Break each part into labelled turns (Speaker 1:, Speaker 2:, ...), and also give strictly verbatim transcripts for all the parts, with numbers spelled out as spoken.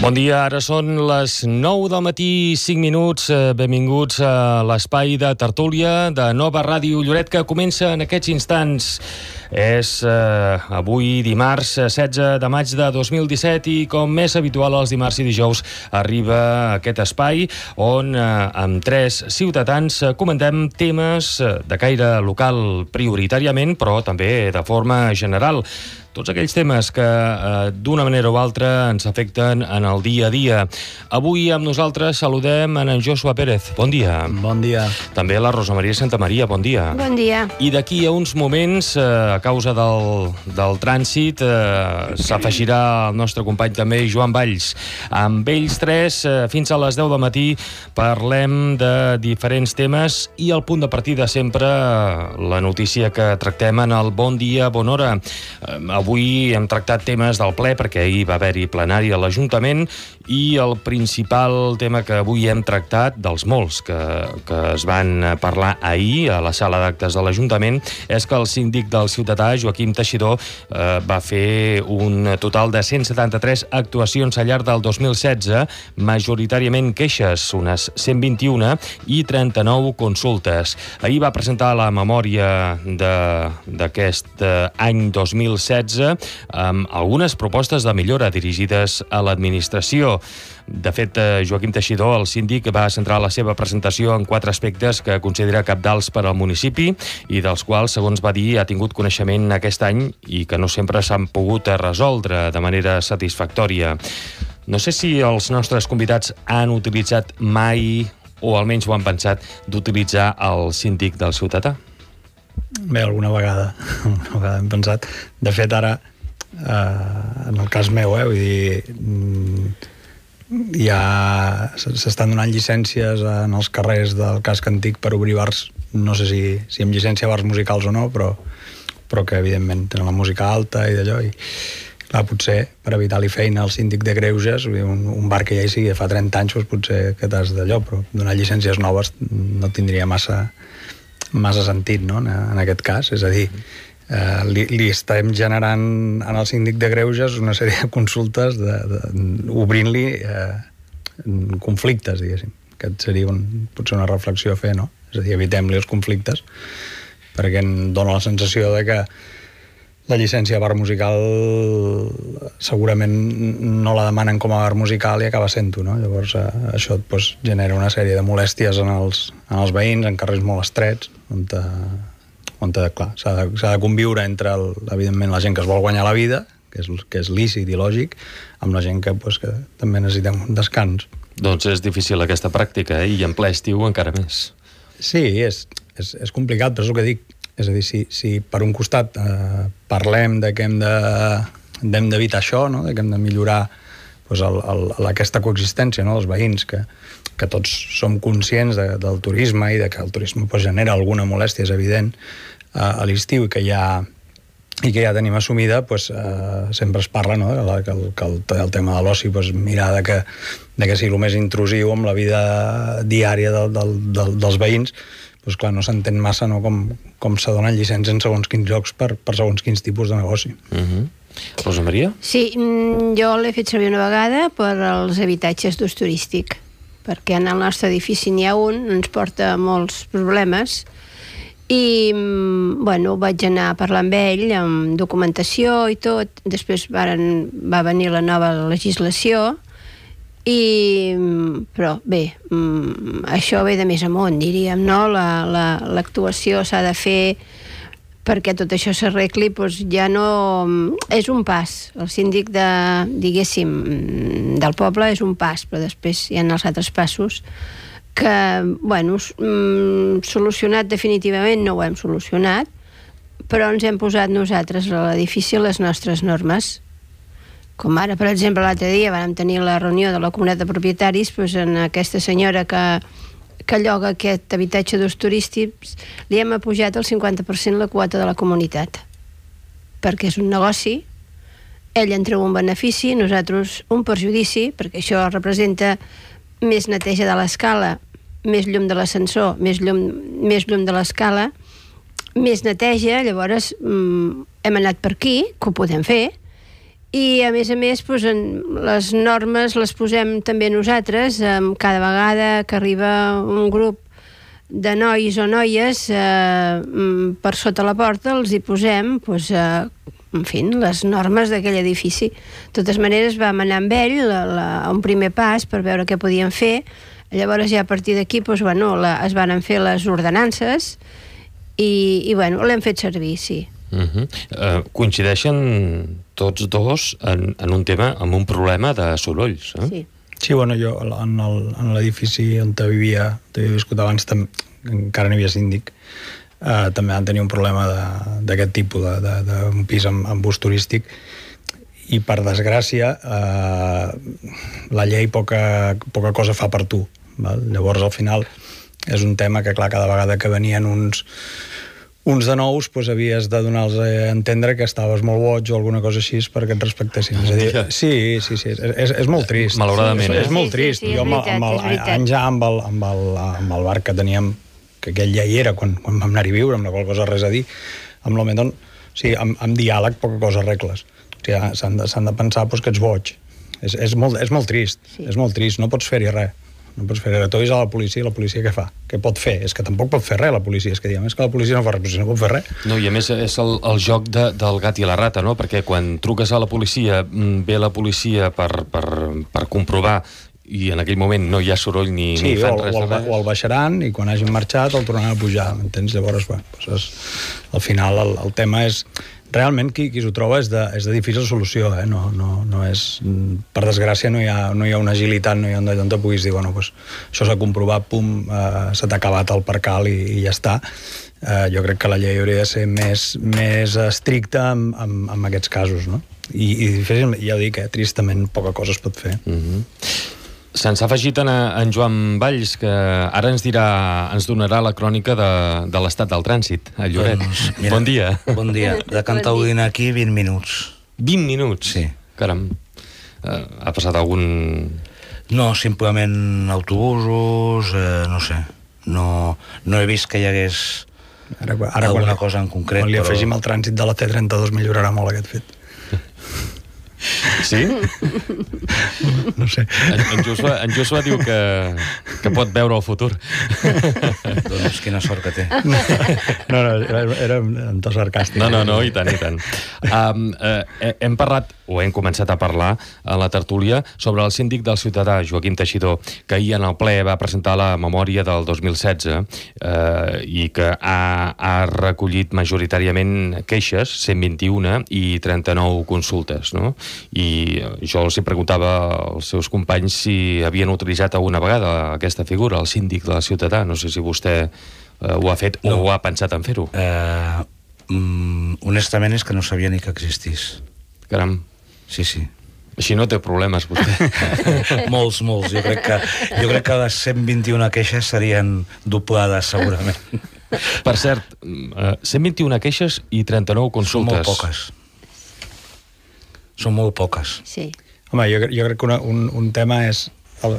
Speaker 1: Bon dia, ara són les nou del matí, cinc minuts. Benvinguts a l'espai de tertúlia de Nova Ràdio Lloret, que comença en aquests instants. És eh, avui dimarts setze de maig de dos mil disset i, com més habitual els dimarts i dijous, arriba aquest espai on eh, amb tres ciutadans eh, comentem temes de caire local prioritàriament, però també de forma general. Tots aquells temes que eh, d'una manera o altra ens afecten en el dia a dia. Avui amb nosaltres saludem en Joshua Pérez. Bon dia.
Speaker 2: Bon dia.
Speaker 1: També la Rosa Maria Santamaria. Bon dia.
Speaker 3: Bon dia.
Speaker 1: I d'aquí a uns moments, eh, a causa del, del trànsit, eh, s'afegirà el nostre company també, Joan Valls. Amb ells tres, eh, fins a les deu del matí, parlem de diferents temes i el punt de partida sempre la notícia que tractem en el Bon Dia, Bona Hora. Eh, Avui hem tractat temes del ple, perquè ahir va haver-hi plenari a l'Ajuntament, i el principal tema que avui hem tractat, dels molts que, que es van parlar ahir a la sala d'actes de l'Ajuntament, és que el síndic del ciutadà, Joaquim Teixidor, eh, va fer un total de cent setanta-tres actuacions al llarg del dos mil setze, majoritàriament queixes, unes cent vint-i-un, i trenta-nou consultes. Ahir va presentar la memòria d'aquest any dos mil setze, amb algunes propostes de millora dirigides a l'administració. De fet, Joaquim Teixidor, el síndic, va centrar la seva presentació en quatre aspectes que considera cabdals per al municipi i dels quals, segons va dir, ha tingut coneixement aquest any i que no sempre s'han pogut resoldre de manera satisfactòria. No sé si els nostres convidats han utilitzat mai, o almenys ho han pensat, d'utilitzar el síndic del ciutadà.
Speaker 2: Bé, alguna vegada, alguna vegada hem pensat. De fet, ara, eh, en el cas meu, eh, vull dir, ja s'estan donant llicències en els carrers del casc antic per obrir bars, no sé si, si amb llicència bars musicals o no, però, però que evidentment tenen la música alta i d'allò, i clar, potser per evitar-li feina al síndic de Greuges, un, un bar que ja hi sigui fa trenta anys, doncs potser que t'has d'allò, però donar llicències noves no tindria massa massa sentit, no?, en aquest cas. És a dir, eh, li, li estem generant en el síndic de Greuges una sèrie de consultes de, de, obrint-li eh, conflictes, diguéssim. Aquest seria un, potser una reflexió a fer, no? És a dir, evitem-li els conflictes, perquè em dóna la sensació de que la llicència de bar musical segurament no la demanen com a bar musical i acaba sent-ho, no? Llavors eh, això pues, genera una sèrie de molèsties en els, en els veïns, en carrers molt estrets, on, te, on te, clar, s'ha de, s'ha de conviure entre, el, evidentment, la gent que es vol guanyar la vida, que és, que és lícit i lògic, amb la gent que, pues, que també necessitem un descans.
Speaker 1: Doncs és difícil aquesta pràctica, eh? I en ple estiu encara més.
Speaker 2: Sí, és, és, és complicat, però és el que dic. És a dir, si, si per un costat eh, parlem de que hem de, hem d'evitar això, no?, de que hem de millorar pues, el, el, aquesta coexistència, no?, dels veïns, que, que tots som conscients de, del turisme i de que el turisme pues, genera alguna molèstia, és evident, eh, a l'estiu, i que ja, i que ja tenim assumida, pues, eh, sempre es parla, no?, que el, que el, el tema de l'oci, pues, mirar de que, de que sigui el més intrusiu amb la vida diària del, del, del, dels veïns, doncs clar, no s'entén massa, no?, com, com se donen llicències en segons quins llocs per, per segons quins tipus de negoci.
Speaker 1: Uh-huh. Rosa Maria?
Speaker 3: Sí, jo l'he fet servir una vegada per als habitatges d'ús turístic, perquè en el nostre edifici n'hi ha un, ens porta molts problemes, i bueno, vaig anar a parlar amb ell, amb documentació i tot. Després varen, va venir la nova legislació, i, però bé, això ve de més amunt, diríem, no? La, la, l'actuació s'ha de fer perquè tot això s'arregli, doncs ja no... És un pas. El síndic de, diguéssim, del poble és un pas, però després hi ha els altres passos que, bueno, solucionat definitivament no ho hem solucionat, però ens hem posat nosaltres a l'edifici les nostres normes. Com ara, per exemple, l'altre dia vam tenir la reunió de la comunitat de propietaris, doncs en aquesta senyora que, que lloga aquest habitatge d'ús turístics, li hem apujat el cinquanta per cent la quota de la comunitat, perquè és un negoci, ell en treu un benefici, nosaltres un perjudici, perquè això representa més neteja de l'escala, més llum de l'ascensor, més llum, més llum de l'escala, més neteja. Llavors mm, hem anat per aquí, que ho podem fer, I, a més a més, doncs, les normes les posem també nosaltres. Cada vegada que arriba un grup de nois o noies eh, per sota la porta els hi posem doncs, eh, en fi, les normes d'aquell edifici. De totes maneres vam anar amb ell la, la, a un primer pas per veure què podien fer. Llavors ja a partir d'aquí doncs, bueno, la, es van fer les ordenances i, i bueno, l'hem fet servir, sí.
Speaker 1: Uh-huh. uh, coincideixen tots dos en, en un tema, en un problema de sorolls, eh?
Speaker 3: Sí.
Speaker 2: Sí, bueno, jo en el- en l'edifici on vivia, on havia viscut abans, tam, encara n'hi havia síndic, eh, també van tenir un problema de- d'aquest tipus, de- de- d'un pis amb, amb ús turístic, i per desgràcia eh, la llei poca, poca cosa fa per tu, val? Llavors al final és un tema que clar, cada vegada que venien uns uns de nous, doncs havies de donar-los a entendre que estaves molt boig o alguna cosa així perquè et respectessin. És a dir, sí, sí, sí, és, és molt trist.
Speaker 1: Malauradament,
Speaker 2: és,
Speaker 1: eh?
Speaker 2: és molt
Speaker 3: Sí, sí,
Speaker 2: trist.
Speaker 3: sí, és
Speaker 2: Jo amb, el-
Speaker 3: veritat,
Speaker 2: amb el,
Speaker 3: és veritat.
Speaker 2: anys ja amb el, amb, el, amb el bar que teníem, que aquell ja hi era quan, quan vam anar-hi a viure, amb la qual cosa res a dir, amb l'Omedon, o sigui, amb, amb diàleg poca cosa arregles. O sigui, s'han de, s'han de pensar doncs, que ets boig. És, és, molt, és molt trist,
Speaker 3: Sí.
Speaker 2: és molt trist, no pots fer-hi res. No pots fer res. Tu avisar la policia, i la policia què fa? Què pot fer? És que tampoc pot fer res la policia. És que diguem, és que la policia no fa res, però si no pot fer res.
Speaker 1: No, i a més és el, el joc de, del gat i la rata, no? Perquè quan truques a la policia, mm, ve la policia per, per, per comprovar i en aquell moment no hi ha soroll ni,
Speaker 2: Sí,
Speaker 1: ni fan
Speaker 2: o,
Speaker 1: res
Speaker 2: o,
Speaker 1: de
Speaker 2: el,
Speaker 1: res.
Speaker 2: o el baixaran i quan hagin marxat el tornaran a pujar, m'entens? Llavors, bueno, doncs és, al final el, el tema és... Realment qui, qui s'ho troba és de, és de difícil solució, eh? No, no, no és... Per desgràcia no hi ha, no hi ha una agilitat, no hi ha on te puguis dir, bueno, pues, això s'ha comprovat, pum, eh, se t'ha acabat el percal i, i ja està. Eh, jo crec que la llei hauria de ser més, més estricta en, en, en aquests casos, no? I, i difícil, ja ho dic, eh? Tristament poca cosa es pot fer.
Speaker 1: Mm -hmm. Se'ns ha afegit en, en Joan Valls, que ara ens dirà, ens donarà la crònica de, de l'estat del trànsit a Lloret.
Speaker 4: Doncs, mira,
Speaker 1: Bon dia.
Speaker 4: Bon dia. De Cantaudina aquí, vint minuts.
Speaker 1: vint minuts?
Speaker 4: Sí.
Speaker 1: Caram. Uh, ha passat algun...
Speaker 4: No, simplement autobusos, eh, no sé. No, no he vist que hi hagués
Speaker 2: Ara, ara
Speaker 4: alguna
Speaker 2: quan,
Speaker 4: cosa en concret.
Speaker 2: Quan li
Speaker 4: però-
Speaker 2: afegim el trànsit de la T trenta-dos millorarà molt aquest fet.
Speaker 1: Sí?
Speaker 2: No sé.
Speaker 1: En, en, Joshua, en Joshua diu que, que pot veure el futur.
Speaker 4: Doncs quina sort que té.
Speaker 2: No, no, era, era en to sarcàstic.
Speaker 1: No, no, no, i tant, i tant. Um, eh, hem parlat, o hem començat a parlar a la tertúlia sobre el síndic del Ciutadà, Joaquim Teixidor, que ahir en el ple va presentar la memòria del dos mil setze eh, i que ha, ha recollit majoritàriament queixes, cent vint-i-una, i trenta-nou consultes, no? I jo els hi preguntava als seus companys si havien utilitzat alguna vegada aquesta figura, el síndic del Ciutadà. No sé si vostè eh, ho ha fet o
Speaker 4: No.
Speaker 1: ho ha pensat en fer-ho.
Speaker 4: Eh, mm, honestament és que no sabia ni que existís.
Speaker 1: Caram.
Speaker 4: Sí, sí.
Speaker 1: Així no té problemes, vostè.
Speaker 4: molts, molts. Jo crec que, jo crec que les cent vint-i-una queixes serien doblades, segurament.
Speaker 1: Per cert, eh, cent vint-i-una queixes i trenta-nou
Speaker 4: Són
Speaker 1: consultes.
Speaker 4: molt poques. Són molt poques.
Speaker 3: Sí.
Speaker 2: Home, jo, jo crec que una, un, un tema és el,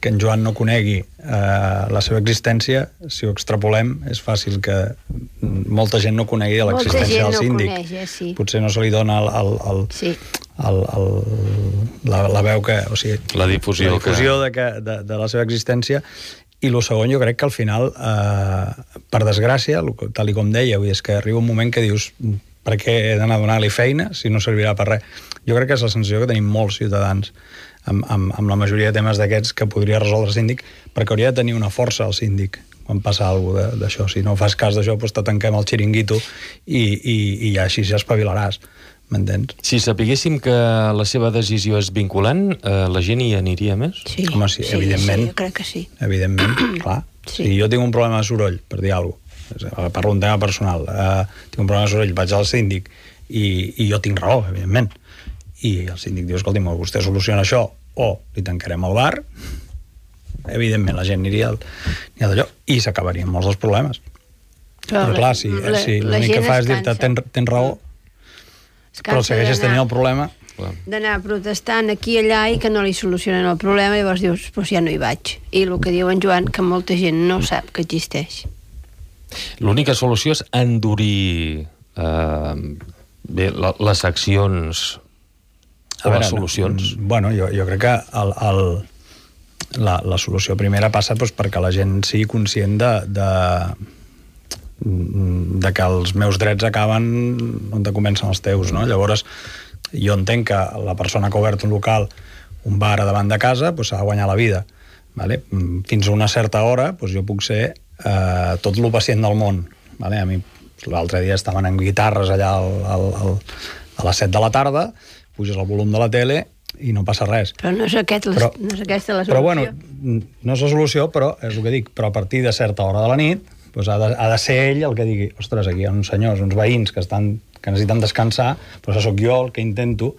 Speaker 2: que en Joan no conegui eh, la seva existència. Si ho extrapolem, és fàcil que molta gent no conegui
Speaker 3: Molta
Speaker 2: l'existència
Speaker 3: gent
Speaker 2: del
Speaker 3: no
Speaker 2: síndic.
Speaker 3: coneix, eh, sí.
Speaker 2: Potser no se li dona el, el, el,
Speaker 3: Sí.
Speaker 2: el, el, la, la veu que... O sigui,
Speaker 1: La difusió
Speaker 2: la difusió
Speaker 1: que-
Speaker 2: de, que, de, de la seva existència. I el segon, jo crec que al final, eh, per desgràcia, lo que- tal i com dèieu, i és que arriba un moment que dius per què he d'anar a donar-li feina si no servirà per res. Jo crec que és la sensació que tenim molts ciutadans amb, amb, amb la majoria de temes d'aquests que podria resoldre el síndic, perquè hauria de tenir una força el síndic quan passa alguna cosa d'això. Si no fas cas d'això, doncs te tanquem el xiringuito i, i, i ja així ja espavilaràs. M'entens?
Speaker 1: Si sapiguéssim que la seva decisió és vinculant, eh, la gent hi aniria més?
Speaker 3: Sí.
Speaker 2: Home, sí, evidentment.
Speaker 3: Sí, jo crec que sí.
Speaker 2: Evidentment, clar.
Speaker 3: Sí.
Speaker 2: Si jo tinc un problema de soroll, per dir alguna cosa, parlo un tema personal, eh, tinc un problema de soroll, vaig al síndic i, i jo tinc raó, evidentment. I el síndic diu, escolti, vostè soluciona això o li tancarem el bar, evidentment la gent aniria, al, aniria d'allò i s'acabarien molts dels problemes. Però, però clar, si,
Speaker 3: la-
Speaker 2: si
Speaker 3: la
Speaker 2: l'únic
Speaker 3: gent
Speaker 2: que fa
Speaker 3: es
Speaker 2: és dir-te
Speaker 3: cansa.
Speaker 2: tens, tens raó,
Speaker 3: Es
Speaker 2: però
Speaker 3: cansa
Speaker 2: segueixes
Speaker 3: d'anar-
Speaker 2: tenint el problema.
Speaker 1: Clar.
Speaker 3: d'anar protestant aquí i allà i que no li solucionen el problema, llavors dius, doncs ja no hi vaig. I el que diu en Joan, que molta gent no sap que existeix.
Speaker 1: L'única solució és endurir eh, bé, la, les accions o les solucions?
Speaker 2: Bueno, jo, jo crec que el, el, la, la solució primera passa doncs, perquè la gent sigui conscient de, de, de que els meus drets acaben on comencen els teus, no? Llavors, jo entenc que la persona que ha obert un local, un bar a davant de casa, doncs s'ha de guanyar la vida. Vale? Fins a una certa hora doncs jo puc ser eh, tot el pacient del món. Vale? A mi l'altre dia estaven amb guitarres allà al, al, al, a les set de la tarda, puges el volum de la tele i no passa res.
Speaker 3: Però no és, aquest, però, no és aquesta la solució.
Speaker 2: Però bueno, no és la solució, però és el que dic, però a partir de certa hora de la nit doncs ha, de, ha de ser ell el que digui, ostres, aquí hi ha uns senyors, uns veïns que, estan, que necessiten descansar, però això sóc jo el que intento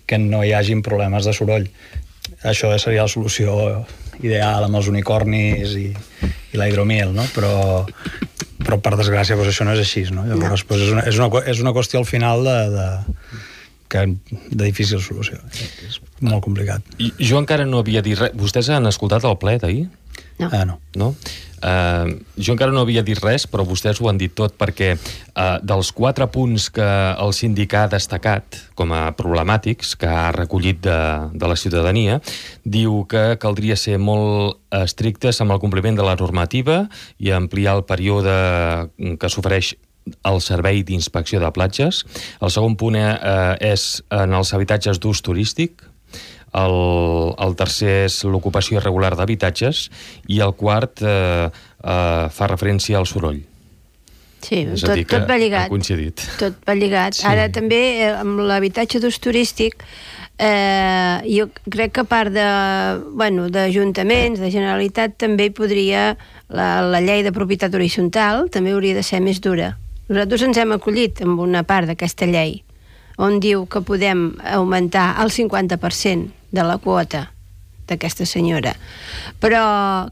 Speaker 2: que no hi hagin problemes de soroll. Això seria la solució ideal amb els unicornis i, i la hidromiel, no? Però, però per desgràcia doncs això no és així, no? Llavors doncs és, una, és, una, és una qüestió al final de, de, que, de difícil solució. És molt complicat.
Speaker 1: I, jo encara no havia dit res. Vostès han escoltat el ple d'ahir?
Speaker 3: No.
Speaker 2: Ah, no.
Speaker 1: No? Uh, jo encara no havia dit res, però vostès ho han dit tot, perquè uh, dels quatre punts que el síndic ha destacat com a problemàtics, que ha recollit de, de la ciutadania, diu que caldria ser molt estrictes amb el compliment de la normativa i ampliar el període que s'ofereix el servei d'inspecció de platges. El segon punt eh, és en els habitatges d'ús turístic. El, el tercer és l'ocupació irregular d'habitatges i el quart eh, eh, fa referència al soroll.
Speaker 3: Sí, tot, tot va lligat.
Speaker 1: Ha coincidit.
Speaker 3: Tot va lligat. Sí. Ara també eh, amb l'habitatge d'ús turístic eh, jo crec que a part de, bueno, d'ajuntaments, de Generalitat, també hi podria la, la llei de propietat horitzontal també hauria de ser més dura. Nosaltres ens hem acollit amb una part d'aquesta llei on diu que podem augmentar el cinquanta per cent de la quota d'aquesta senyora. Però,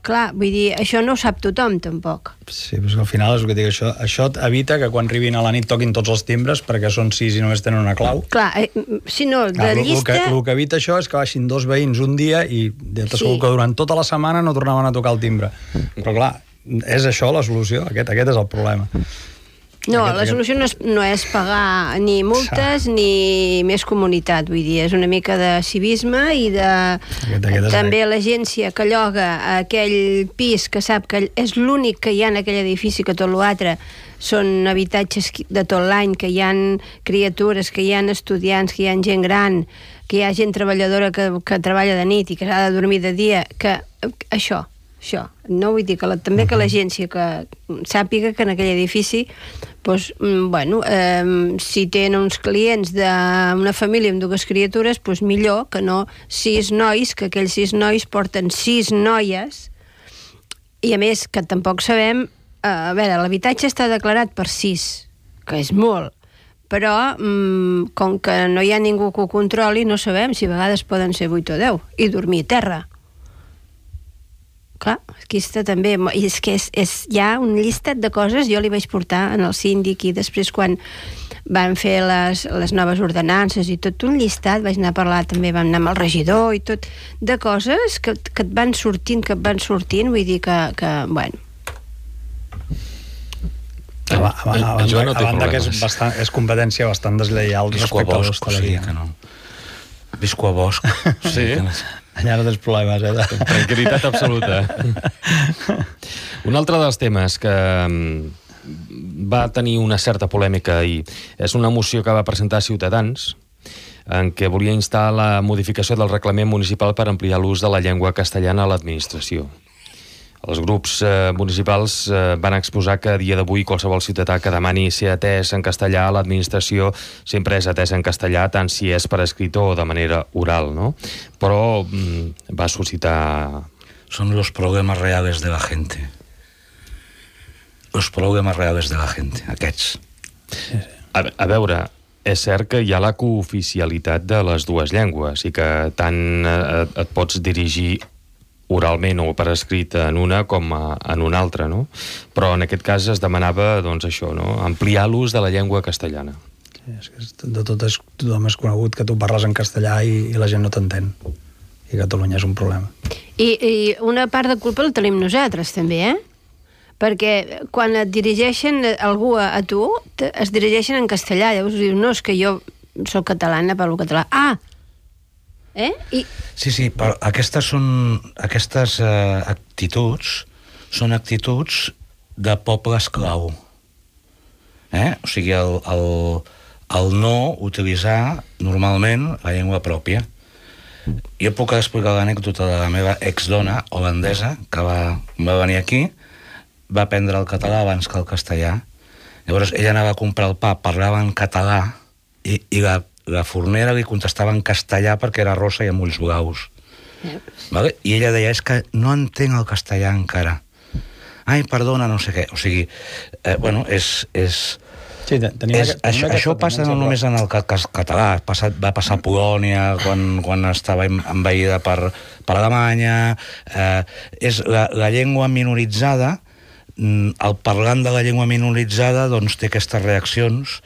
Speaker 3: clar, vull dir, això no ho sap tothom, tampoc.
Speaker 2: Sí, però al final és el que dic, això, això evita que quan arribin a la nit toquin tots els timbres perquè són sis i només tenen una clau.
Speaker 3: Clar, eh, si no, de
Speaker 2: clar,
Speaker 3: llista...
Speaker 2: El que, el que evita això és que baixin dos veïns un dia i t'asseguro sí. que durant tota la setmana no tornaven a tocar el timbre. Però clar, és això la solució, aquest, aquest és el problema.
Speaker 3: No, la solució no és, no és pagar ni multes sí. ni més comunitat, vull dir, és una mica de civisme i de... Aquest, aquest també l'agència que lloga aquell pis que sap que és l'únic que hi ha en aquell edifici, que tot l'altre són habitatges de tot l'any, que hi ha criatures, que hi ha estudiants, que hi ha gent gran, que hi ha gent treballadora que, que treballa de nit i que s'ha de dormir de dia, que això... això. No vull dir que la, també que l'agència que sàpiga que en aquell edifici doncs, bueno, eh, si tenen uns clients d'una família amb dues criatures, doncs millor que no sis nois, que aquells sis nois porten sis noies i a més que tampoc sabem eh, a veure, l'habitatge està declarat per sis, que és molt, però mm, com que no hi ha ningú que ho controli no sabem si a vegades poden ser vuit o deu i dormir a terra. Clar, aquí està també, i és que és, és, hi ha un llistat de coses, jo li vaig portar en el síndic i després quan van fer les, les noves ordenances i tot un llistat, vaig anar a parlar també, vam anar amb el regidor i tot, de coses que, que et van sortint, que et van sortint, vull dir que, que bueno...
Speaker 2: A, a, a, a, a, no a banda que és, bastant, és competència bastant deslleial respecte a l'hostaleria.
Speaker 4: Sí, no. Visco a Bosc.
Speaker 1: Sí.
Speaker 2: Allà no tens problemes, eh?
Speaker 1: Tranquil·litat absoluta. Un altre dels temes que va tenir una certa polèmica ahir és una moció que va presentar Ciutadans en què volia instar la modificació del reglament municipal per ampliar l'ús de la llengua castellana a l'administració. Els grups eh, municipals eh, van exposar que a dia d'avui qualsevol ciutadà que demani ser atès en castellà a l'administració sempre és atès en castellà, tant si és per escrit o de manera oral, no? Però mm, va suscitar...
Speaker 4: Son los problemas reales de la gente. Los problemas reales de la gente, aquests.
Speaker 1: A, a veure, és cert que hi ha la cooficialitat de les dues llengües i que tant eh, et pots dirigir oralment o per escrit en una com a, en una altra, no? Però en aquest cas es demanava, doncs això, no? Ampliar l'ús de la llengua castellana.
Speaker 2: Sí, és que de tot és, tothom és conegut que tu parles en castellà i, i la gent no t'entén. I Catalunya és un problema.
Speaker 3: I, I una part de culpa la tenim nosaltres, també, eh? perquè quan et dirigeixen algú a, a tu, te, es dirigeixen en castellà, llavors dius, no, és que jo soc catalana, parlo català. Ah! Eh? I...
Speaker 4: Sí, sí, però aquestes són aquestes eh, actituds són actituds de poble esclau. Eh? O sigui, el, el, el no utilitzar normalment la llengua pròpia. Jo puc explicar l'anècdota de la meva exdona holandesa, que va, va venir aquí, va aprendre el català abans que el castellà. Llavors ella anava a comprar el pa, parlava en català, i, i la, la fornera li contestava en castellà perquè era rossa i amb ulls blaus. Yep. Vale? I ella deia, és que no entenc el castellà encara. Ai, perdona, no sé què. O sigui, eh, bueno, és... és
Speaker 2: Sí, tenim
Speaker 4: és,
Speaker 2: aquest,
Speaker 4: això això passa no només en el català, passat, va passar a Polònia quan, quan estava envaïda per, per Alemanya. Eh, és la, la llengua minoritzada, el parlant de la llengua minoritzada doncs, té aquestes reaccions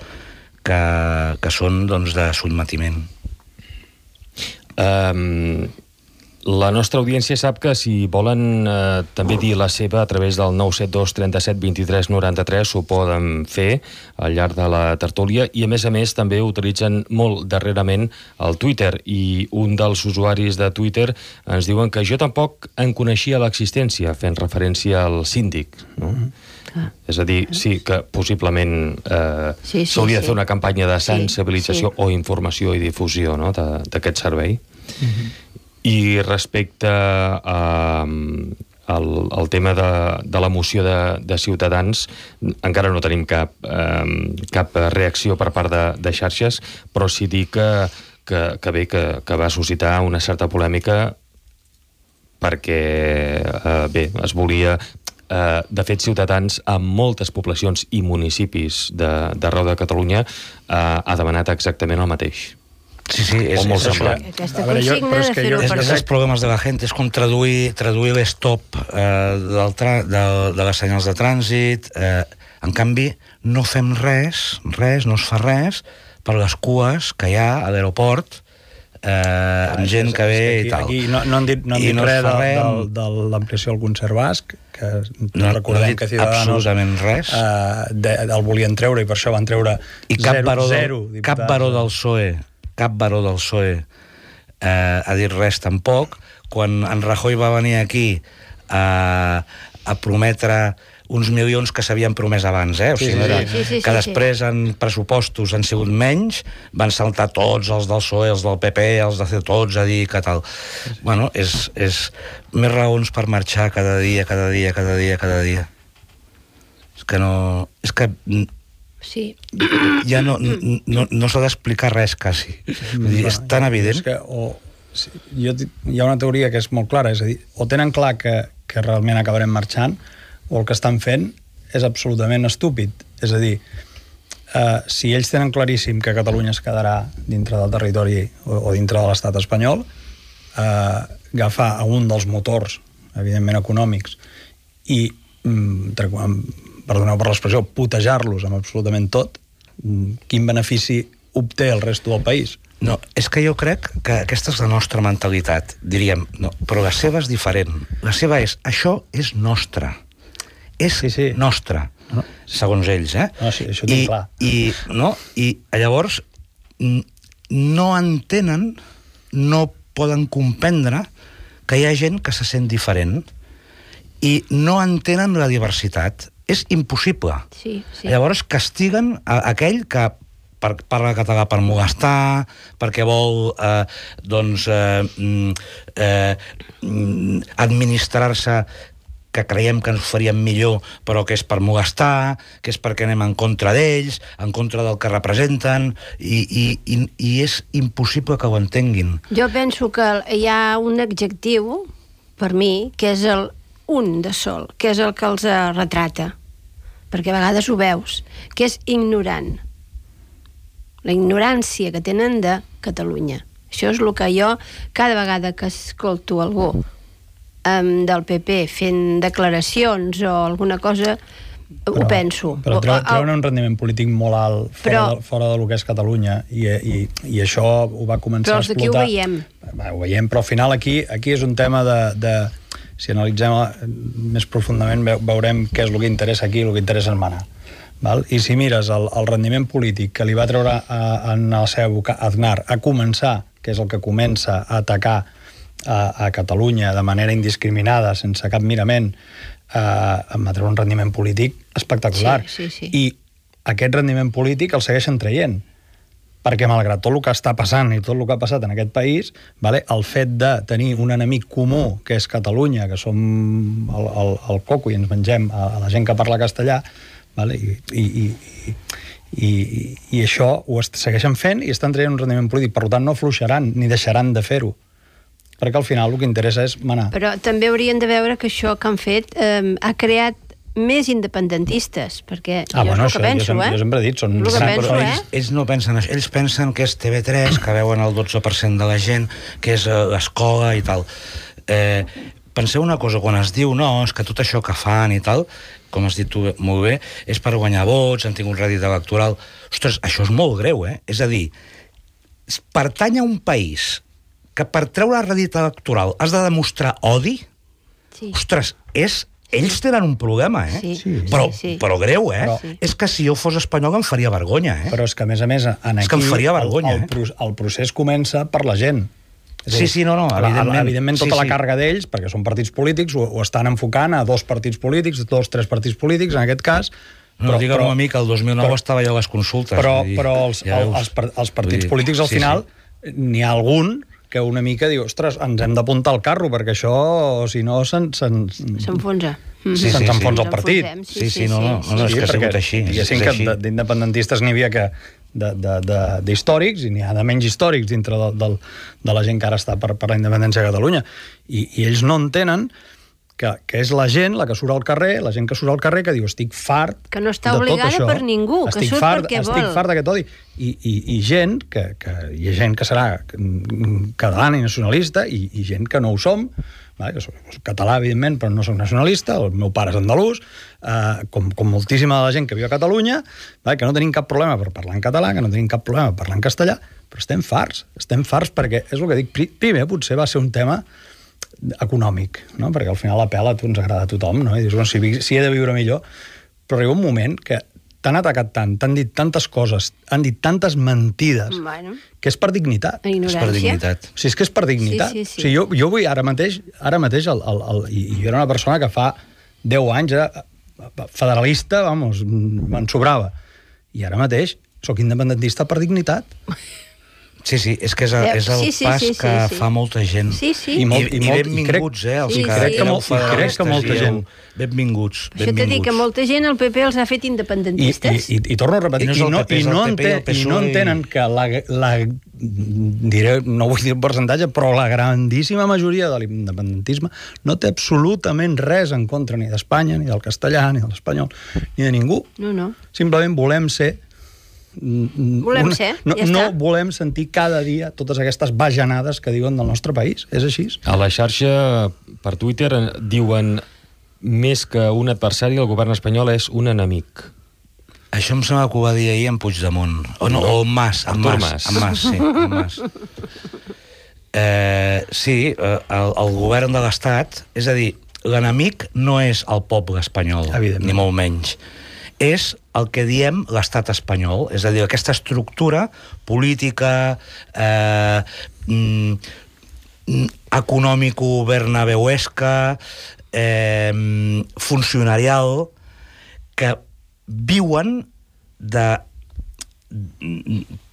Speaker 4: que, que són doncs, de sotmetiment.
Speaker 1: Um, la nostra audiència sap que si volen eh, també dir la seva a través del nou set dos trenta-set vint-i-tres noranta-tres ho poden fer al llarg de la tertúlia, i a més a més també utilitzen molt darrerament el Twitter, i un dels usuaris de Twitter ens diuen que jo tampoc en coneixia l'existència, fent referència al síndic, no? Ah. És a dir, sí que possiblement eh,
Speaker 3: sí, sí,
Speaker 1: s'hauria
Speaker 3: sí.
Speaker 1: de fer una campanya de sensibilització
Speaker 3: sí, sí.
Speaker 1: o informació i difusió, no?, d'aquest servei.
Speaker 2: Uh-huh.
Speaker 1: I respecte a, al, al tema de, de la moció de, de Ciutadans, encara no tenim cap, eh, cap reacció per part de, de xarxes, però sí dir que, que, que bé, que, que va suscitar una certa polèmica perquè, eh, bé, es volia... Eh, de fet, Ciutadans, a moltes poblacions i municipis d'arreu de, de Catalunya, eh, ha demanat exactament el mateix.
Speaker 4: Sí, sí, és, és això.
Speaker 3: Aquesta consigna de fer-ho per
Speaker 4: és els problemes de la gent, és com traduir, traduir l'estop eh, del tra de, de les senyals de trànsit. Eh, en canvi, no fem res, res, no es fa res per les cues que hi ha a l'aeroport, eh, amb gent que ve
Speaker 2: aquí,
Speaker 4: i tal.
Speaker 2: Aquí no, no han dit, no han dit no res de, de, de l'ampliació del concert basc, que
Speaker 4: no,
Speaker 2: recordem
Speaker 4: no
Speaker 2: que Ciudadanos
Speaker 4: absolutament res.
Speaker 2: Eh, de, el volien treure i per això van treure
Speaker 4: I cap
Speaker 2: zero,
Speaker 4: baró,
Speaker 2: zero
Speaker 4: del, cap baró del P S O E cap baró del P S O E eh, ha dit res tampoc. Quan en Rajoy va venir aquí a, a prometre uns milions que s'havien promès abans, eh? O sigui,
Speaker 2: sí, sí,
Speaker 4: era,
Speaker 3: sí, sí,
Speaker 4: que
Speaker 3: sí,
Speaker 4: després en pressupostos han sigut menys, van saltar tots els del P S O E, els del P P, els de tots a dir que tal. Sí, sí. Bueno, és, és més raons per marxar cada dia, cada dia, cada dia, cada dia. És que no... És que...
Speaker 3: Sí.
Speaker 4: Ja no, no, no s'ha d'explicar res, quasi. Dir, és tan evident.
Speaker 2: És que, o, sí, jo, hi ha una teoria que és molt clara, és a dir, o tenen clar que, que realment acabarem marxant, o el que estan fent és absolutament estúpid. És a dir, eh, si ells tenen claríssim que Catalunya es quedarà dintre del territori o, o dintre de l'estat espanyol, eh, agafar un dels motors, evidentment econòmics, i mm, perdoneu per l'expressió, putejar-los amb absolutament tot, quin benefici obté el resto del país?
Speaker 4: No, és que jo crec que aquesta és la nostra mentalitat, diríem, no, però la seva és diferent. La seva és, això és nostre. És sí, sí. nostre, no. segons ells, eh?
Speaker 2: No, sí, això ho tinc clar.
Speaker 4: I, no, I llavors no entenen, no poden comprendre que hi ha gent que se sent diferent i no entenen la diversitat. És impossible.
Speaker 3: Sí, sí.
Speaker 4: Llavors castiguen a aquell que per, parla català per molestar, perquè vol eh, doncs, eh, eh, administrar-se, que creiem que ens faríem millor, però que és per molestar, que és perquè anem en contra d'ells, en contra del que representen, i, i, i, i és impossible que ho entenguin.
Speaker 3: Jo penso que hi ha un adjectiu, per mi, que és el un de sol, que és el que els retrata, perquè a vegades ho veus, que és ignorant. La ignorància que tenen de Catalunya. Això és el que jo, cada vegada que escolto algú um, del P P fent declaracions o alguna cosa, però, ho penso.
Speaker 2: Però treuen, treuen un rendiment polític molt alt fora, però, de, fora de lo que és Catalunya, i, i, i això ho va començar a explotar.
Speaker 3: Però els d'aquí ho veiem.
Speaker 2: Va, ho veiem, però al final aquí, aquí és un tema de... de si analitzem més profundament, veurem què és el que interessa aquí i el que interessa en manar. Val? I si mires el, el rendiment polític que li va treure a, en la seva època Aznar a començar, que és el que comença a atacar a, a Catalunya de manera indiscriminada, sense cap mirament, eh, va treure un rendiment polític espectacular.
Speaker 3: Sí, sí, sí.
Speaker 2: I aquest rendiment polític el segueixen traient, perquè malgrat tot el que està passant i tot el que ha passat en aquest país, vale, el fet de tenir un enemic comú, que és Catalunya, que som el, el, el coco i ens mengem a, a la gent que parla castellà, vale, i, i, i, i, i això ho segueixen fent i estan traient un rendiment polític, per tant no afluixaran ni deixaran de fer-ho, perquè al final el que interessa és manar.
Speaker 3: Però també haurien de veure que això que han fet eh, ha creat més independentistes, perquè
Speaker 2: ah,
Speaker 3: jo
Speaker 2: bueno,
Speaker 3: és el que penso,
Speaker 2: jo,
Speaker 3: eh?
Speaker 2: Jo sempre he dit, són...
Speaker 3: El que penso,
Speaker 4: però
Speaker 3: eh?
Speaker 4: ells, ells no pensen això, ells pensen que és T V tres, que veuen el dotze per cent de la gent, que és l'escola i tal. Eh, penseu una cosa, quan es diu no, és que tot això que fan i tal, com has dit tu molt bé, és per guanyar vots, han tingut rèdit electoral. Ostres, això és molt greu, eh? És a dir, pertany a un país que per treure rèdit electoral has de demostrar odi,
Speaker 3: Sí.
Speaker 4: ostres, és... Ells tenen un problema, eh?
Speaker 3: Sí,
Speaker 2: sí,
Speaker 4: però,
Speaker 3: sí.
Speaker 4: però greu, eh?
Speaker 2: Però-
Speaker 4: Sí. És que si jo fos espanyol em faria vergonya, eh?
Speaker 2: Però és que, a més a més, en
Speaker 4: És que
Speaker 2: aquí
Speaker 4: em faria vergonya,
Speaker 2: el, el,
Speaker 4: eh?
Speaker 2: pro, el procés comença per la gent. És
Speaker 4: Sí,
Speaker 2: a dir,
Speaker 4: sí, no, no,
Speaker 2: la-
Speaker 4: evidentment.
Speaker 2: Evidentment,
Speaker 4: Sí,
Speaker 2: tota la
Speaker 4: sí.
Speaker 2: càrrega d'ells, perquè són partits polítics, ho, ho estan enfocant a dos partits polítics, dos, tres partits polítics, en aquest cas.
Speaker 4: No, digue'm a mi que el dos mil nou
Speaker 2: però-
Speaker 4: estava jo a les consultes.
Speaker 2: Però,
Speaker 4: vull dir,
Speaker 2: però els,
Speaker 4: ja
Speaker 2: el,
Speaker 4: veus.
Speaker 2: els, par- els partits
Speaker 4: Vull dir,
Speaker 2: polítics, al
Speaker 4: sí,
Speaker 2: final,
Speaker 4: sí.
Speaker 2: n'hi ha algun que una mica diu, ostres, ens hem d'apuntar al carro, perquè això, si no, se'n... se'n
Speaker 3: S'enfonsa.
Speaker 4: Sí,
Speaker 2: se'ns
Speaker 4: sí, sí.
Speaker 2: enfonsa el partit.
Speaker 3: Ens
Speaker 4: Sí, sí, no, no, no, no, és que ha
Speaker 2: perquè
Speaker 4: sigut així.
Speaker 2: diguéssim
Speaker 4: és
Speaker 2: que
Speaker 4: així.
Speaker 2: de- d'independentistes n'hi havia que de- de- de- d'històrics i n'hi ha de menys històrics dintre de, de, de la gent que ara està per, per la independència de Catalunya. I, i ells no entenen que, que és la gent, la que surt al carrer, la gent que surt al carrer, que diu, estic fart
Speaker 3: Que no està
Speaker 2: de tot
Speaker 3: obligada
Speaker 2: això.
Speaker 3: per ningú, que
Speaker 2: estic
Speaker 3: surt
Speaker 2: fart,
Speaker 3: perquè
Speaker 2: estic
Speaker 3: vol.
Speaker 2: fart d'aquest odi. I, i, i gent que, que hi ha gent que serà catalana i nacionalista i, i gent que no ho som, vale, que soc, soc català, evidentment, però no soc nacionalista, el meu pare és andalús, eh, com, com moltíssima de la gent que viu a Catalunya, vale, que no tenim cap problema per parlar en català, que no tenim cap problema per parlar en castellà, però estem farts, estem farts perquè, és el que dic, pri- primer potser va ser un tema econòmic, no? Perquè al final la pela a tu ens agrada a tothom, no? I dius, bueno, si, vi- si he de viure millor, però arriba un moment que t'han atacat tant, t'han dit tantes coses, han dit tantes mentides,
Speaker 3: Bueno,
Speaker 2: que és per dignitat.
Speaker 3: la
Speaker 4: És
Speaker 3: ignorància.
Speaker 4: per dignitat.
Speaker 2: O sigui, és que és per dignitat.
Speaker 3: Sí, sí, sí.
Speaker 2: O sigui, jo, jo vull ara mateix, ara mateix el, el, el, i i jo era una persona que fa deu anys era federalista, vamos, me'n sobrava. I ara mateix sóc independentista per dignitat.
Speaker 4: Sí, sí, és que és,
Speaker 3: Eh,
Speaker 4: és el
Speaker 3: sí, sí,
Speaker 4: pas
Speaker 3: sí, sí,
Speaker 4: que
Speaker 3: sí.
Speaker 4: fa molta gent.
Speaker 3: Sí, sí.
Speaker 2: I molt-
Speaker 4: I,
Speaker 2: i
Speaker 4: i
Speaker 2: molt- i
Speaker 4: benvinguts,
Speaker 2: crec-
Speaker 4: eh, els
Speaker 3: sí,
Speaker 4: que
Speaker 3: sí, crec que
Speaker 4: éreu
Speaker 3: molt- i crec que
Speaker 4: federalistes,
Speaker 2: molta
Speaker 4: dieu,
Speaker 2: gent-
Speaker 4: benvinguts,
Speaker 3: Això t'he dit
Speaker 4: benvinguts.
Speaker 3: que molta gent el P P els ha fet
Speaker 2: I,
Speaker 3: independentistes.
Speaker 2: i, i, i torno a repetir,
Speaker 4: I no és
Speaker 2: i
Speaker 4: el
Speaker 2: no,
Speaker 4: P P,
Speaker 2: i
Speaker 4: és el
Speaker 2: no,
Speaker 4: P P, el
Speaker 2: enten, i no
Speaker 4: PSOE i-
Speaker 2: entenen que la, la, diré, no vull dir el percentatge, però la grandíssima majoria de l'independentisme no té absolutament res en contra ni d'Espanya, ni del castellà, ni de l'espanyol, ni de ningú.
Speaker 3: No, no.
Speaker 2: Simplement volem ser...
Speaker 3: Volem
Speaker 2: una,
Speaker 3: ser,
Speaker 2: no,
Speaker 3: ja
Speaker 2: no
Speaker 3: està.
Speaker 2: volem sentir cada dia totes aquestes bajanades que diuen del nostre país. És així.
Speaker 1: A la xarxa, per Twitter, eh, diuen més que un adversari, el govern espanyol és un enemic.
Speaker 4: Això em sembla que ho va dir ahir en Puigdemont. O no, o en Mas. En
Speaker 1: Artur
Speaker 4: Mas,
Speaker 1: Mas.
Speaker 4: en Mas, sí, en Mas. Eh, sí, eh, el, el govern de l'Estat, és a dir, l'enemic no és el poble espanyol,
Speaker 2: Evidentment.
Speaker 4: ni molt menys. És el que diem l'estat espanyol, és a dir, aquesta estructura política, eh, mm, mm, econòmico-bernabeuesca, eh, funcionarial, que viuen de...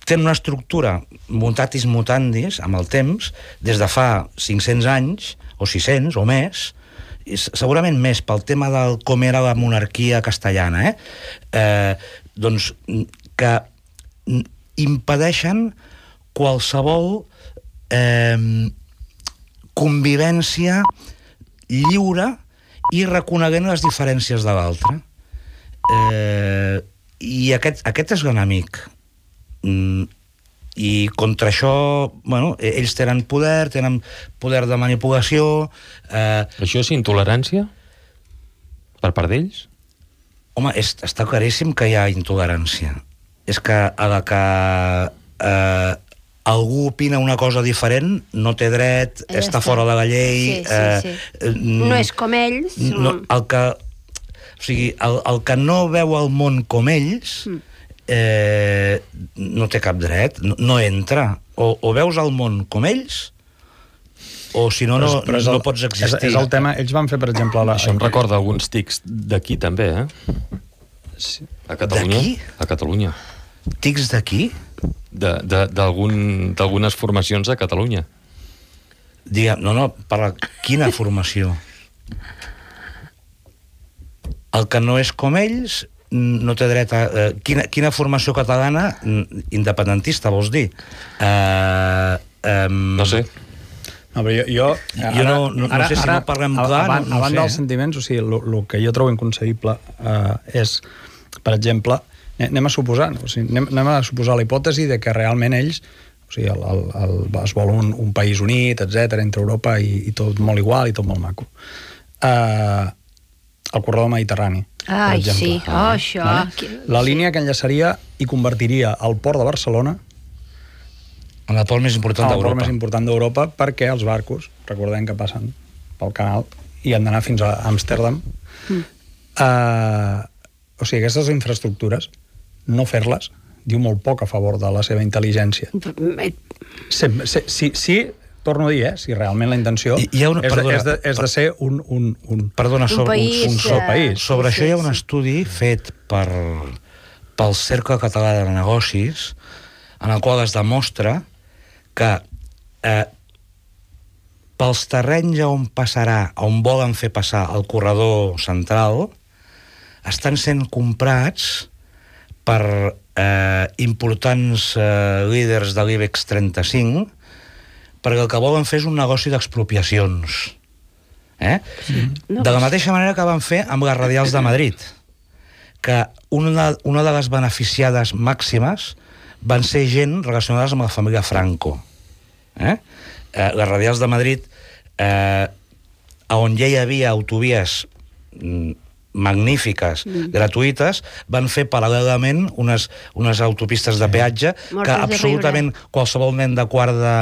Speaker 4: tenen una estructura mutatis mutandis amb el temps, des de fa cinc-cents anys, o sis-cents, o més, i segurament més pel tema del com era la monarquia castellana, eh? Eh, doncs que impedeixen qualsevol eh, convivència lliure i reconeguent les diferències de l'altre. Eh, i aquest, aquest és l'enemic. Mm, i contra això, bueno, ells tenen poder, tenen poder de manipulació. Eh,
Speaker 1: Això és intolerància? Per part d'ells?
Speaker 4: home, és, està claríssim que hi ha intolerància. És que a la que eh, algú opina una cosa diferent, no té dret,
Speaker 3: Ja
Speaker 4: està
Speaker 3: està.
Speaker 4: fora de la llei...
Speaker 3: Sí, sí, sí.
Speaker 4: Eh,
Speaker 3: No és com ells.
Speaker 4: no, el que, o sigui, el, el que no veu el món com ells eh, no té cap dret, no, no entra. O, o veus el món com ells, o si no, no,
Speaker 2: Però és el-
Speaker 4: no pots existir.
Speaker 2: És, és el tema, ells van fer, per exemple... La,
Speaker 1: Això em recorda alguns tics d'aquí també, eh?
Speaker 2: Sí.
Speaker 1: A Catalunya.
Speaker 4: D'aquí?
Speaker 1: A Catalunya.
Speaker 4: Tics d'aquí?
Speaker 1: De- de- d'algun- D'algunes formacions a Catalunya.
Speaker 4: Digue'm, no, no, per la, quina formació? El que no és com ells no té dret a... Eh, quina, quina formació catalana independentista, vols dir? Eh, eh,
Speaker 1: No sé.
Speaker 2: No, però jo, jo,
Speaker 4: Jo no- no- no sé si no parlem clar,
Speaker 2: Abans,
Speaker 4: no- no
Speaker 2: abans
Speaker 4: sé,
Speaker 2: dels
Speaker 4: eh?
Speaker 2: sentiments, o sigui, el que jo trobo inconcebible eh, és, per exemple, anem a suposar, o sigui, anem, anem a suposar la hipòtesi de que realment ells, o sigui, el, el, el, es vol un, un país unit, etcètera, entre Europa i, i tot molt igual i tot molt maco. Eh, el corredor mediterrani,
Speaker 3: Ai,
Speaker 2: per exemple.
Speaker 3: sí, oh, això.
Speaker 2: Vale? La línia que enllaçaria i convertiria el port de Barcelona
Speaker 4: en el port més important
Speaker 2: el port
Speaker 4: d'Europa.
Speaker 2: més important d'Europa, perquè els barcos, recordem que passen pel canal i han d'anar fins a Amsterdam. Mm. Uh, o sigui, aquestes infraestructures, no fer-les, diu molt poc a favor de la seva intel·ligència. Si, si, si, si torno a dir, eh, si realment la intenció
Speaker 4: Hi- hi ha una-
Speaker 2: és, de,
Speaker 4: perdona,
Speaker 2: és, de, és de ser un, un, un,
Speaker 4: Perdona,
Speaker 3: Un
Speaker 4: sobre,
Speaker 3: país,
Speaker 4: un, un,
Speaker 3: eh,
Speaker 2: país.
Speaker 4: sobre
Speaker 3: sí,
Speaker 4: això hi ha
Speaker 3: sí,
Speaker 4: un
Speaker 3: sí.
Speaker 4: estudi fet per, pel Cercle Català de Negocis en el qual es demostra que eh, pels terrenys on passarà, on volen fer passar el corredor central, estan sent comprats per eh, importants eh, líders de l'IBEX trenta-cinc, perquè el que volen fer és un negoci d'expropiacions. Eh? Sí.
Speaker 3: No,
Speaker 4: De la
Speaker 3: pues-
Speaker 4: mateixa manera que van fer amb les radials de Madrid, que una, una de les beneficiades màximes van ser gent relacionades amb la família Franco. Eh? Eh, les radials de Madrid, eh, on ja hi havia autovies mm, magnífiques, mm. gratuïtes, van fer paral·lelament unes, unes autopistes de peatge
Speaker 3: Mortes
Speaker 4: que
Speaker 3: de
Speaker 4: absolutament qualsevol nen de quart de,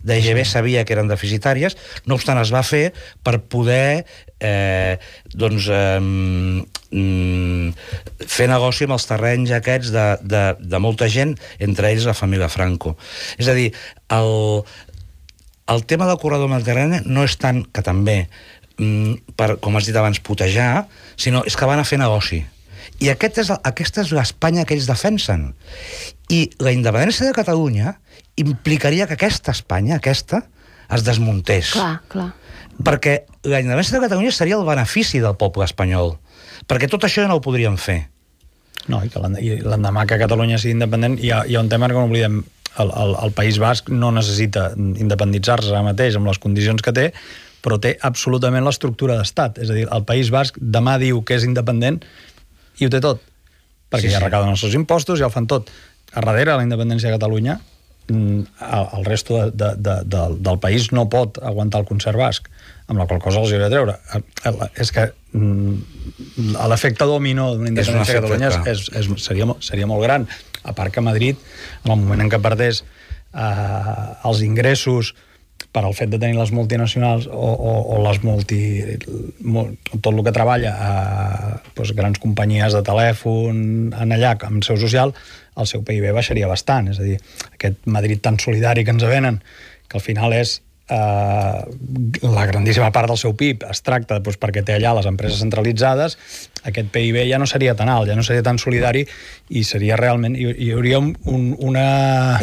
Speaker 4: de G B sabia que eren deficitàries. No obstant, es va fer per poder eh, doncs, eh, mm, fer negoci amb els terrenys aquests de, de, de molta gent, entre ells la família Franco. És a dir, el, el tema del corredor mediterrani no és tant que també per, com has dit abans, putejar, sinó és que van a fer negoci. I aquest és, aquesta és l'Espanya que ells defensen. I la independència de Catalunya implicaria que aquesta Espanya, aquesta, es desmuntés.
Speaker 3: Clar, clar.
Speaker 4: Perquè la independència de Catalunya seria el benefici del poble espanyol. Perquè tot això ja no ho podríem fer.
Speaker 2: No, i que l'end- i l'endemà que Catalunya sigui independent hi ha, hi ha un tema que no oblidem. El, el, el País Basc no necessita independitzar-se ara mateix amb les condicions que té, però té absolutament l'estructura d'estat. És a dir, el País Basc demà diu que és independent i ho té tot. Perquè
Speaker 4: Sí,
Speaker 2: ja
Speaker 4: sí.
Speaker 2: recauden els seus impostos, ja ho fan tot. A darrere de la independència de Catalunya, mm, el, el resto de, de, de, del, del país no pot aguantar el concert basc, amb la qual cosa els hi hauria de treure. El- el- És que mm, l'efecte dominó d'una independència de
Speaker 4: efecte,
Speaker 2: Catalunya
Speaker 4: clar.
Speaker 2: és, és, és, seria, mo- seria molt gran. A part que Madrid, en el moment en què perdés eh, els ingressos per al fet de tenir les multinacionals o, o, o les multi... Mo, tot el que treballa a doncs, grans companyies de telèfon en allà, amb seu social, el seu P I B baixaria bastant. És a dir, aquest Madrid tan solidari que ens venen, que al final és eh, la grandíssima part del seu P I B es tracta doncs, perquè té allà les empreses centralitzades, aquest P I B ja no seria tan alt, ja no seria tan solidari i seria realment... Hi, hi hauria un, un, una...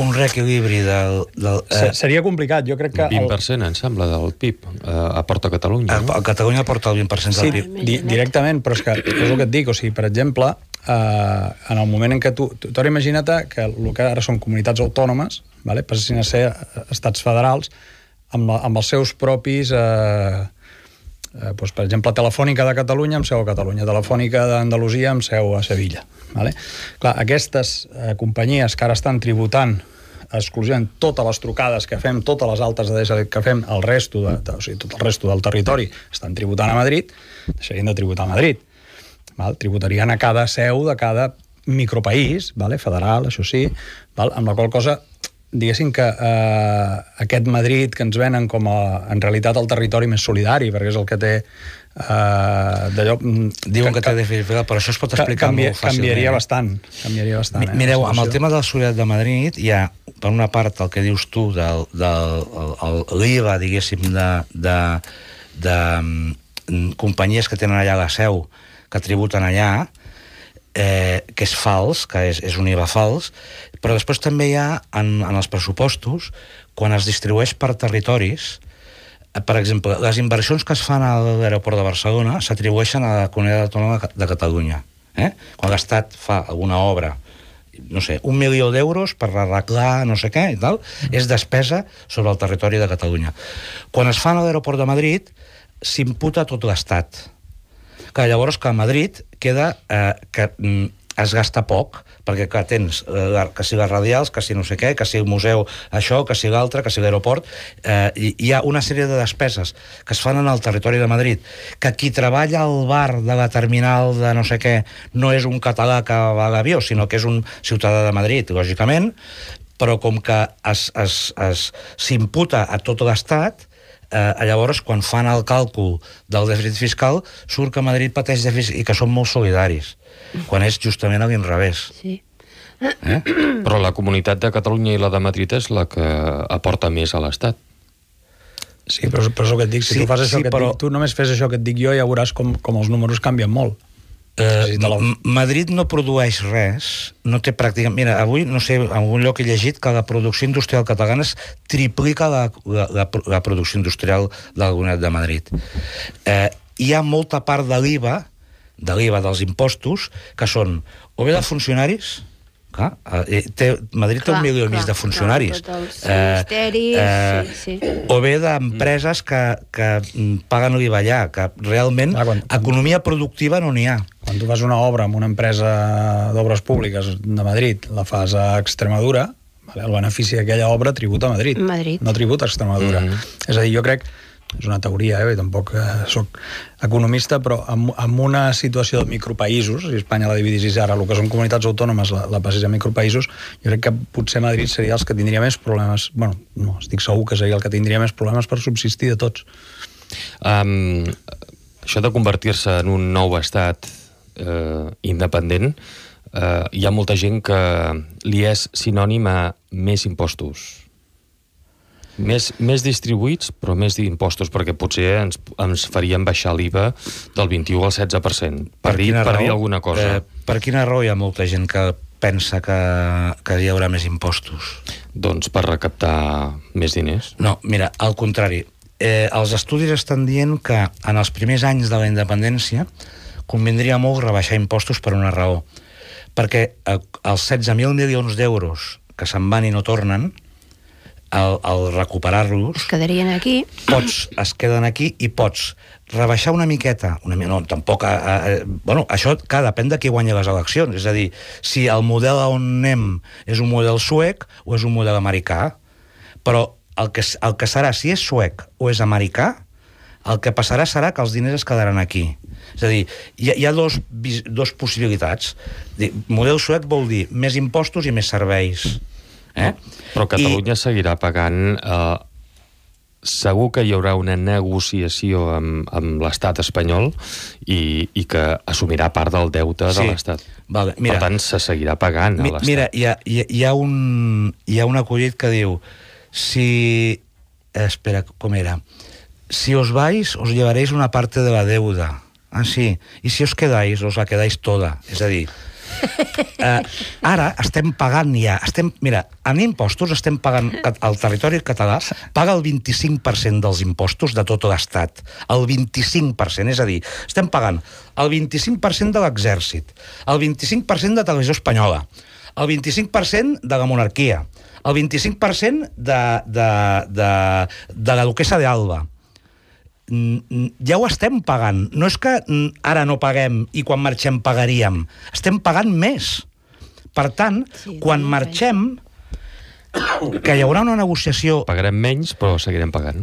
Speaker 4: Un reequilibri del... del
Speaker 2: Se-
Speaker 4: eh,
Speaker 2: Seria complicat, jo crec que...
Speaker 1: vint per cent, em sembla, del P I B eh, aporta Catalunya.
Speaker 4: a,
Speaker 1: No?
Speaker 4: a Catalunya porta el vint per cent del
Speaker 2: Sí,
Speaker 4: P I B.
Speaker 2: di directament, però és que és el que et dic, o sigui, per exemple, eh, en el moment en què tu... tu ara imagina't que el que ara són comunitats autònomes, vale, passin a ser estats federals, amb, la, amb els seus propis... Eh, eh, doncs, per exemple, Telefònica de Catalunya amb seu a Catalunya, Telefònica d'Andalusia amb seu a Sevilla. Vale? Clar, aquestes eh, companyies que ara estan tributant exclusivament totes les trucades que fem, totes les altes de D S L que fem, el resto de, de, o sigui, tot el resto del territori estan tributant a Madrid, deixarien de tributar a Madrid. Val? Tributarien a cada seu de cada micropaís, vale? Federal, això sí, val? Amb la qual cosa diguéssim que eh, aquest Madrid que ens venen com a, en realitat, el territori més solidari, perquè és el que té eh, d'allò...
Speaker 4: Diuen que, que té difícil, però això es pot explicar
Speaker 2: canvia,
Speaker 4: molt fàcilment.
Speaker 2: Canviaria bastant, canviaria bastant.
Speaker 4: Mi,
Speaker 2: eh,
Speaker 4: mireu, amb el tema de la solidaritat de Madrid hi ha, per una part, el que dius tu del, del el, l'I V A, diguéssim, de, de, de, de companyies que tenen allà la seu, que tributen allà, eh, que és fals, que és, és un I V A fals, però després també hi ha, en, en els pressupostos, quan es distribueix per territoris, eh, per exemple, les inversions que es fan a l'aeroport de Barcelona s'atribueixen a la Comunitat Autònoma de Catalunya. Eh? Quan l'Estat fa alguna obra, no sé, un milió d'euros per arreglar no sé què i tal, és despesa sobre el territori de Catalunya. Quan es fan a l'aeroport de Madrid, s'imputa tot l'Estat. Que llavors que a Madrid queda eh, que mm, es gasta poc, perquè que tens eh, que si les radials, que si no sé què, que si el museu això, que si l'altre, que si l'aeroport, eh, hi, hi ha una sèrie de despeses que es fan en el territori de Madrid, que qui treballa al bar de la terminal de no sé què no és un català que va a l'avió, sinó que és un ciutadà de Madrid, lògicament, però com que es, es, es, s'imputa a tot l'Estat, Eh, llavors, quan fan el càlcul del dèficit fiscal, surt que Madrid pateix dèficit i que són molt solidaris, quan és justament a l'inrevés.
Speaker 3: Sí.
Speaker 1: Eh? Però la Comunitat de Catalunya i la de Madrid és la que aporta més a l'Estat.
Speaker 2: Sí, però, però és el que et dic, si
Speaker 4: sí,
Speaker 2: tu fas això
Speaker 4: sí,
Speaker 2: que et
Speaker 4: però...
Speaker 2: dic, tu només fes això que et dic jo, ja veuràs com, com els números canvien molt.
Speaker 4: Eh, Madrid no produeix res, no té pràcticament... Mira, avui, no sé, en algun lloc he llegit que la producció industrial catalana es triplica la, la, la, la producció industrial de la Comunitat de Madrid. Eh, hi ha molta part de l'I V A, de l'I V A dels impostos, que són o bé de funcionaris... Clar, eh, té, Madrid clar, té un milió i mig de funcionaris.
Speaker 3: Clar, tots els ministeris, eh, eh, sí, sí.
Speaker 4: O bé d'empreses que, que paguen l'I V A allà, que realment clar, quan, economia productiva no n'hi ha.
Speaker 2: Quan tu fas una obra amb una empresa d'obres públiques de Madrid, la fas a Extremadura, vale, el benefici d'aquella obra tributa a Madrid,
Speaker 3: Madrid.
Speaker 2: no tributa a Extremadura. Mm-hmm. És a dir, jo crec, és una teoria, eh, tampoc eh, soc economista, però en, en una situació de micropaïsos, si Espanya la dividís ara, el que són comunitats autònomes, la, la passés a micropaïsos, jo crec que potser Madrid seria els que tindria més problemes, bueno, no, estic segur que seria el que tindria més problemes per subsistir de tots.
Speaker 1: Um, això de convertir-se en un nou estat eh, independent, eh, hi ha molta gent que li és sinònim a més impostos. Més, més distribuïts, però més d'impostos, perquè potser ens, ens farien baixar l'I V A del vint-i-u al setze per cent, per, per, dir, per dir alguna cosa.
Speaker 4: Eh, per quina raó hi ha molta gent que pensa que, que hi haurà més impostos?
Speaker 1: Doncs per recaptar més diners.
Speaker 4: No, mira, al contrari. Eh, els estudis estan dient que en els primers anys de la independència convindria molt rebaixar impostos per una raó. Perquè eh, els setze mil milions d'euros que se'n van i no tornen, al, al recuperar-los...
Speaker 3: Es quedarien aquí.
Speaker 4: Pots, es queden aquí i pots rebaixar una miqueta, una, no, tampoc... Eh, eh, bueno, això, clar, depèn de qui guanya les eleccions. És a dir, si el model on anem és un model suec o és un model americà, però el que, el que serà, si és suec o és americà, el que passarà serà que els diners es quedaran aquí. És a dir, hi ha, hi ha dos, dos possibilitats. Model suec vol dir més impostos i més serveis. Eh?
Speaker 1: Però Catalunya I... seguirà pagant... Eh, segur que hi haurà una negociació amb, amb l'estat espanyol i, i que assumirà part del deute sí. de l'estat.
Speaker 4: Vale, mira,
Speaker 1: per tant, se seguirà pagant a l'estat.
Speaker 4: Mira, hi ha, hi, ha, hi, ha un, hi ha un acudit que diu si... Espera, com era? Si os vais, os llevaréis una parte de la deuda. Ah, sí. I si os quedáis, os la quedáis toda. És a dir, eh, ara estem pagant ja... Estem, mira, en impostos estem pagant... El territori català paga el vint-i-cinc per cent dels impostos de tot l'estat. El vint-i-cinc per cent. És a dir, estem pagant el vint-i-cinc per cent de l'exèrcit, el vint-i-cinc per cent de Televisió Espanyola, el vint-i-cinc per cent de la monarquia, el vint-i-cinc per cent de, de, de, de la duquessa d'Alba. Ja ho estem pagant. No és que ara no paguem i quan marxem pagaríem. Estem pagant més. Per tant, sí, quan marxem, que hi haurà una negociació...
Speaker 1: Pagarem menys, però seguirem pagant.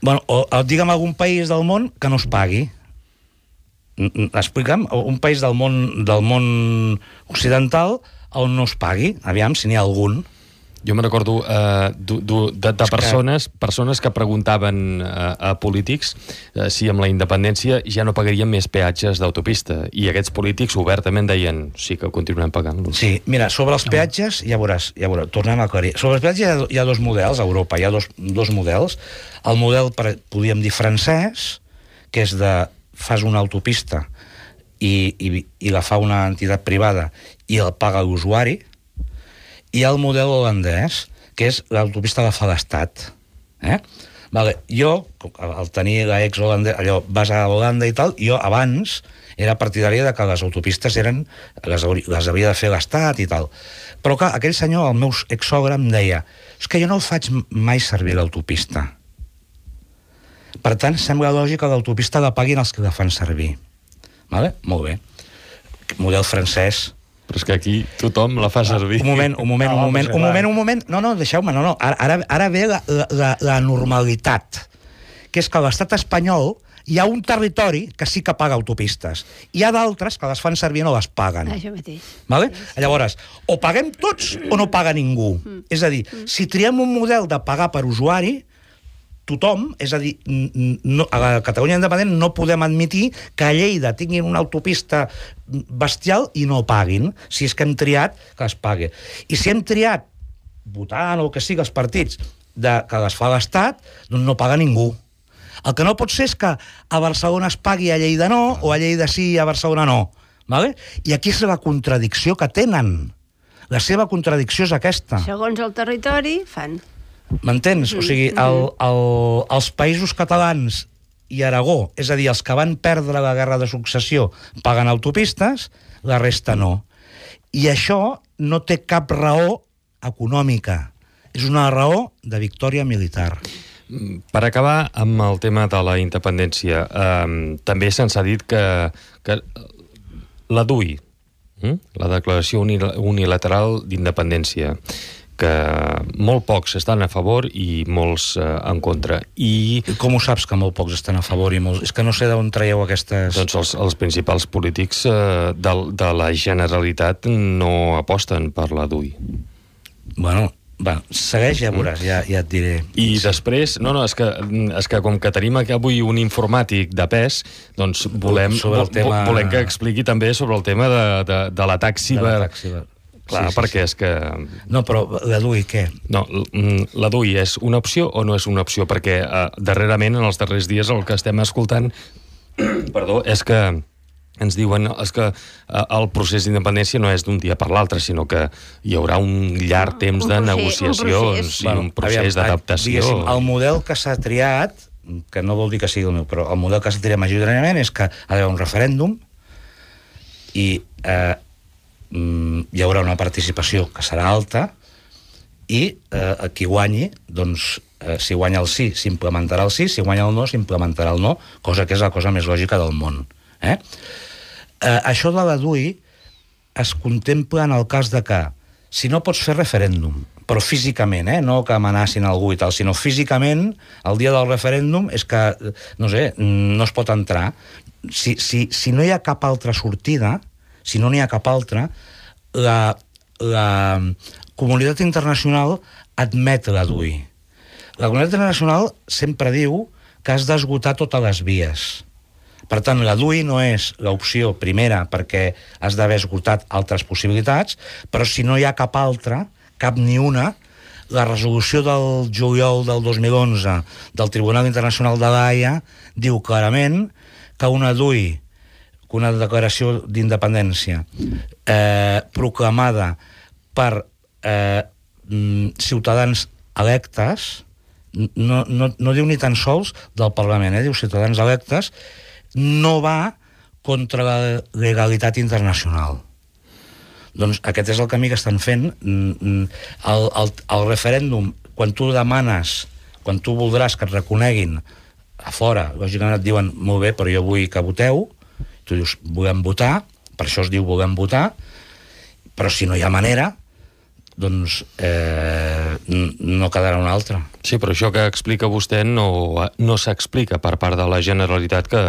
Speaker 4: Bueno, o, o digue'm algun país del món que no es pagui. Explica'm, un país del món, del món occidental on no es pagui. Aviam, si n'hi ha algun.
Speaker 1: Jo me recordo uh, de, de, de persones, persones que preguntaven uh, a polítics uh, si amb la independència ja no pagarien més peatges d'autopista, i aquests polítics obertament deien sí que continuem pagant-los.
Speaker 4: Sí, mira, sobre els peatges, ja veuràs, ja veuràs, tornem a aclarir. Sobre els peatges hi ha, hi ha dos models, a Europa hi ha dos, dos models. El model, per, podríem dir, francès, que és de fas una autopista i, i, i la fa una entitat privada i el paga l'usuari, i el model holandès, que és l'autopista la fa l'Estat. Eh? Vale. Jo, al tenir l'ex holandès, allò, vas a Holanda i tal, jo abans era partidària de que les autopistes eren, les, les havia de fer l'Estat i tal. Però clar, aquell senyor, el meu exsogre, em deia és que jo no el faig mai servir l'autopista. Per tant, sembla lògic que l'autopista la paguin els que la fan servir. Vale? Molt bé. Model francès.
Speaker 1: Però és que aquí tothom la fa servir.
Speaker 4: Un moment, un moment, un moment, un moment, un moment. No, no, deixeu-me, no, no. Ara, ara ve la, la, la normalitat, que és que a l'estat espanyol hi ha un territori que sí que paga autopistes. Hi ha d'altres que les fan servir i no les paguen.
Speaker 3: Això mateix.
Speaker 4: Vale? Llavors, o paguem tots o no paga ningú. Mm. És a dir, mm. si triem un model de pagar per usuari, tothom, és a dir, no, a la Catalunya independent no podem admitir que a Lleida tinguin una autopista bestial i no paguin. Si és que hem triat, que es pagui. I si hem triat, votant o el que sigui, els partits, de, que les fa l'Estat, doncs no paga ningú. El que no pot ser és que a Barcelona es pagui, a Lleida no, o a Lleida sí i a Barcelona no. Vale? I aquí és la contradicció que tenen. La seva contradicció és aquesta.
Speaker 3: Segons el territori, fan...
Speaker 4: M'entens? O sigui, el, el, els països catalans i Aragó, és a dir, els que van perdre la guerra de successió paguen autopistes, la resta no. I això no té cap raó econòmica. És una raó de victòria militar.
Speaker 1: Per acabar amb el tema de la independència, eh, també se'ns ha dit que, que la D U I, eh, la Declaració Unilateral d'Independència, que molt pocs estan a favor i molts eh, en contra. I
Speaker 4: com ho saps que molt pocs estan a favor i molts... És que no sé d'on traieu aquestes...
Speaker 1: Doncs els, els principals polítics eh, de, de la Generalitat no aposten per la D U I.
Speaker 4: Bueno, va, segueix, ja veuràs, ja, ja et diré.
Speaker 1: I després, no, no, és que, és que com que tenim aquí avui un informàtic de pes, doncs volem,
Speaker 4: sobre el tema...
Speaker 1: volem que expliqui també sobre el tema de, de, de l'atac ciber.
Speaker 4: ciber.
Speaker 1: Clar, sí, sí,
Speaker 4: sí.
Speaker 1: perquè és que...
Speaker 4: No, però la D U I, què?
Speaker 1: No, la D U I és una opció o no és una opció? Perquè eh, darrerament, en els darrers dies, el que estem escoltant perdó, és que ens diuen és que eh, el procés d'independència no és d'un dia per l'altre, sinó que hi haurà un llarg temps de negociacions i un procés d'adaptació.
Speaker 4: El model que s'ha triat, que no vol dir que sigui el meu, però el model que s'ha triat majoritàriament és que ha d'haver un referèndum i... Eh, hi haurà una participació que serà alta i eh, qui guanyi, doncs, eh, si guanya el sí, s'implementarà el sí, si guanya el no, s'implementarà el no, cosa que és la cosa més lògica del món. Eh? Eh, això de la D U I es contempla en el cas de que, si no pots fer referèndum, però físicament, eh? no que amenacin algú i tal, sinó físicament, el dia del referèndum és que, no sé, no es pot entrar. Si, si, si no hi ha cap altra sortida, si no n'hi ha cap altra, la, la comunitat internacional admet la D U I. La comunitat internacional sempre diu que has d'esgotar totes les vies. Per tant, la D U I no és l'opció primera perquè has d'haver esgotat altres possibilitats, però si no hi ha cap altra, cap ni una, la resolució del juliol del dos mil onze del Tribunal Internacional de l'Haia diu clarament que una D U I, que una declaració d'independència eh, proclamada per eh, ciutadans electes, no, no, no diu ni tan sols del Parlament, eh, diu ciutadans electes, no va contra la legalitat internacional. Doncs aquest és el camí que estan fent. El, el, el referèndum, quan tu demanes, quan tu voldràs que et reconeguin a fora, lògicament et diuen molt bé, però jo vull que voteu. Tu dius, volem votar, per això es diu volem votar, però si no hi ha manera, doncs eh, no quedarà una altra.
Speaker 1: Sí, però això que explica vostè no, no s'explica per part de la Generalitat, que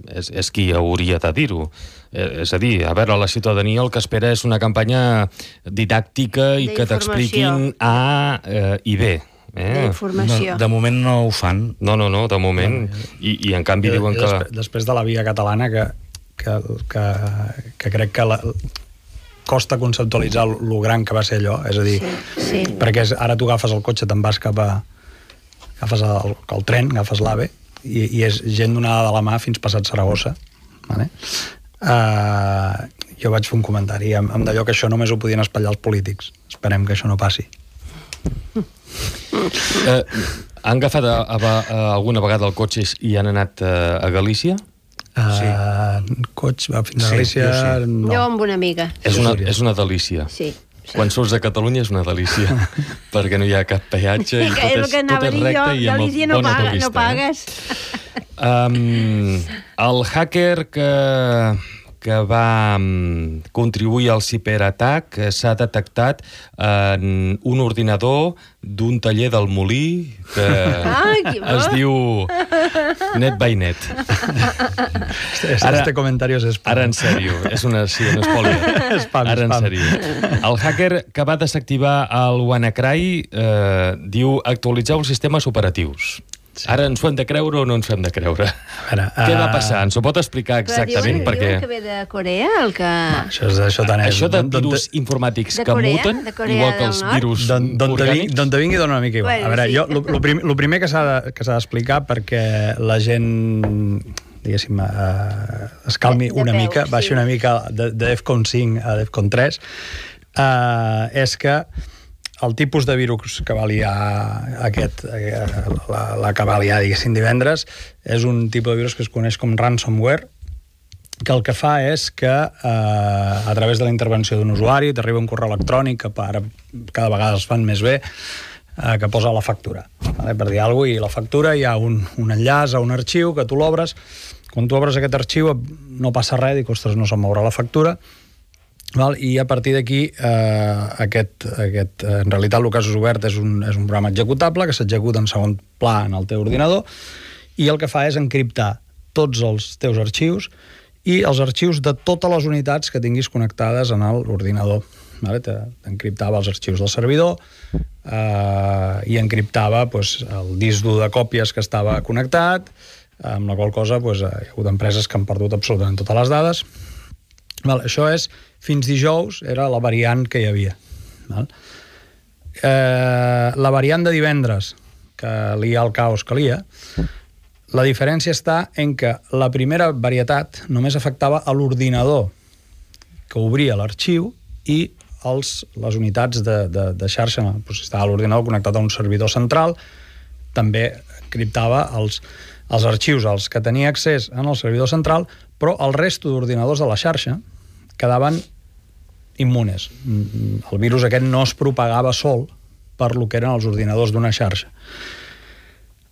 Speaker 1: és, és qui hauria de dir-ho. Eh, és a dir, a veure, la ciutadania el que espera és una campanya didàctica i que t'expliquin A eh, i B. Eh?
Speaker 3: D'informació.
Speaker 4: No, de moment no ho fan.
Speaker 1: No, no, no, de moment. I, i en canvi
Speaker 2: I,
Speaker 1: diuen
Speaker 2: i
Speaker 1: que...
Speaker 2: Després, després de la via catalana, que, que, que, que crec que la, costa conceptualitzar lo gran que va ser allò, és a dir,
Speaker 3: sí, sí.
Speaker 2: perquè ara tu agafes el cotxe, te'n vas cap a... agafes el, el tren, agafes l'AVE, i, i és gent donada de la mà fins passat Saragossa. Vale? Uh, jo vaig fer un comentari amb, amb d'allò que això només ho podien espatllar els polítics. Esperem que això no passi.
Speaker 1: Eh, han agafat a, a, a, alguna vegada el cotxe i han anat a, a Galícia?
Speaker 2: Uh,
Speaker 4: Sí.
Speaker 2: Cotxe, va fins a
Speaker 4: Sí,
Speaker 2: Galícia...
Speaker 4: jo sí.
Speaker 2: No.
Speaker 3: Jo amb una amiga.
Speaker 1: És una, és una delícia.
Speaker 3: Sí.
Speaker 1: Quan surts de Catalunya és una delícia, perquè no hi ha cap peatge i tot és,
Speaker 3: que
Speaker 1: tot és recte i amb
Speaker 3: Galícia no,
Speaker 1: bona
Speaker 3: paga,
Speaker 1: autovista.
Speaker 3: no pagues.
Speaker 1: Eh? Um, el hacker que, que va um, contribuir al ciberatac s'ha detectat en un ordinador d'un taller del Molí que
Speaker 3: Ah,
Speaker 1: es diu Net by Net.
Speaker 2: Este,
Speaker 1: Ara-
Speaker 2: este comentario es spam.
Speaker 1: Ara en sèrio, és una, sí, un spoiler.
Speaker 2: Spam,
Speaker 1: Ara en
Speaker 2: spam.
Speaker 1: sèrio. El hacker que va desactivar el WannaCry eh, diu actualitzeu els sistemes operatius. Sí. Ara ens ho hem de creure o no ens ho hem de creure?
Speaker 2: A veure,
Speaker 1: Què va
Speaker 2: uh,
Speaker 1: passar? Ens ho pot explicar exactament?
Speaker 3: Però diuen,
Speaker 1: perquè
Speaker 3: diuen que ve de Corea, el que...
Speaker 2: Això, és, això, tant és.
Speaker 1: això de
Speaker 2: D'on-
Speaker 1: virus informàtics
Speaker 3: De
Speaker 1: que
Speaker 3: Corea?
Speaker 1: muten,
Speaker 3: De Corea
Speaker 1: igual que
Speaker 3: del
Speaker 1: els
Speaker 3: Nord?
Speaker 1: virus
Speaker 2: D'on d'on te, vingui,
Speaker 1: orgànics...
Speaker 2: d'on te vingui dona una mica igual.
Speaker 3: Bueno,
Speaker 2: a veure,
Speaker 3: sí.
Speaker 2: jo, lo, lo, prim, lo primer que s'ha de- que s'ha d'explicar perquè la gent, diguéssim, uh, es calmi
Speaker 3: De- de
Speaker 2: una
Speaker 3: peu,
Speaker 2: mica,
Speaker 3: sí.
Speaker 2: baixi una mica de, de DEFCON cinc a DEFCON tres, uh, és que el tipus de virus que va liar aquest, eh, la, la que va liar, diguéssim, divendres, és un tipus de virus que es coneix com ransomware, que el que fa és que eh, a través de la intervenció d'un usuari t'arriba un correu electrònic que ara cada vegada es fan més bé, eh, que posa la factura, vale? Per dir alguna cosa, i la factura hi ha un, un enllaç a un arxiu que tu l'obres. Quan tu obres aquest arxiu no passa res, dic, ostres, no se'm mourà la factura, val? I a partir d'aquí eh, aquest, aquest, en realitat el cas obert és un, és un programa executable que s'executa en segon pla en el teu ordinador i el que fa és encriptar tots els teus arxius i els arxius de totes les unitats que tinguis connectades en l'ordinador. Vale? T'encriptava els arxius del servidor eh, i encriptava pues, el disc dur de còpies que estava connectat, amb la qual cosa pues, hi ha hagut empreses que han perdut absolutament totes les dades. Val, això és, fins dijous, era la variant que hi havia. Val? Eh, la variant de divendres, que lia el caos que lia, la diferència està en que la primera varietat només afectava a l'ordinador que obria l'arxiu i els, les unitats de, de, de xarxa. Doncs si estava l'ordinador connectat a un servidor central, també encriptava els, els arxius als que tenia accés en el servidor central, però el resto d'ordinadors de la xarxa quedaven immunes. El virus aquest no es propagava sol per lo que eren els ordinadors d'una xarxa.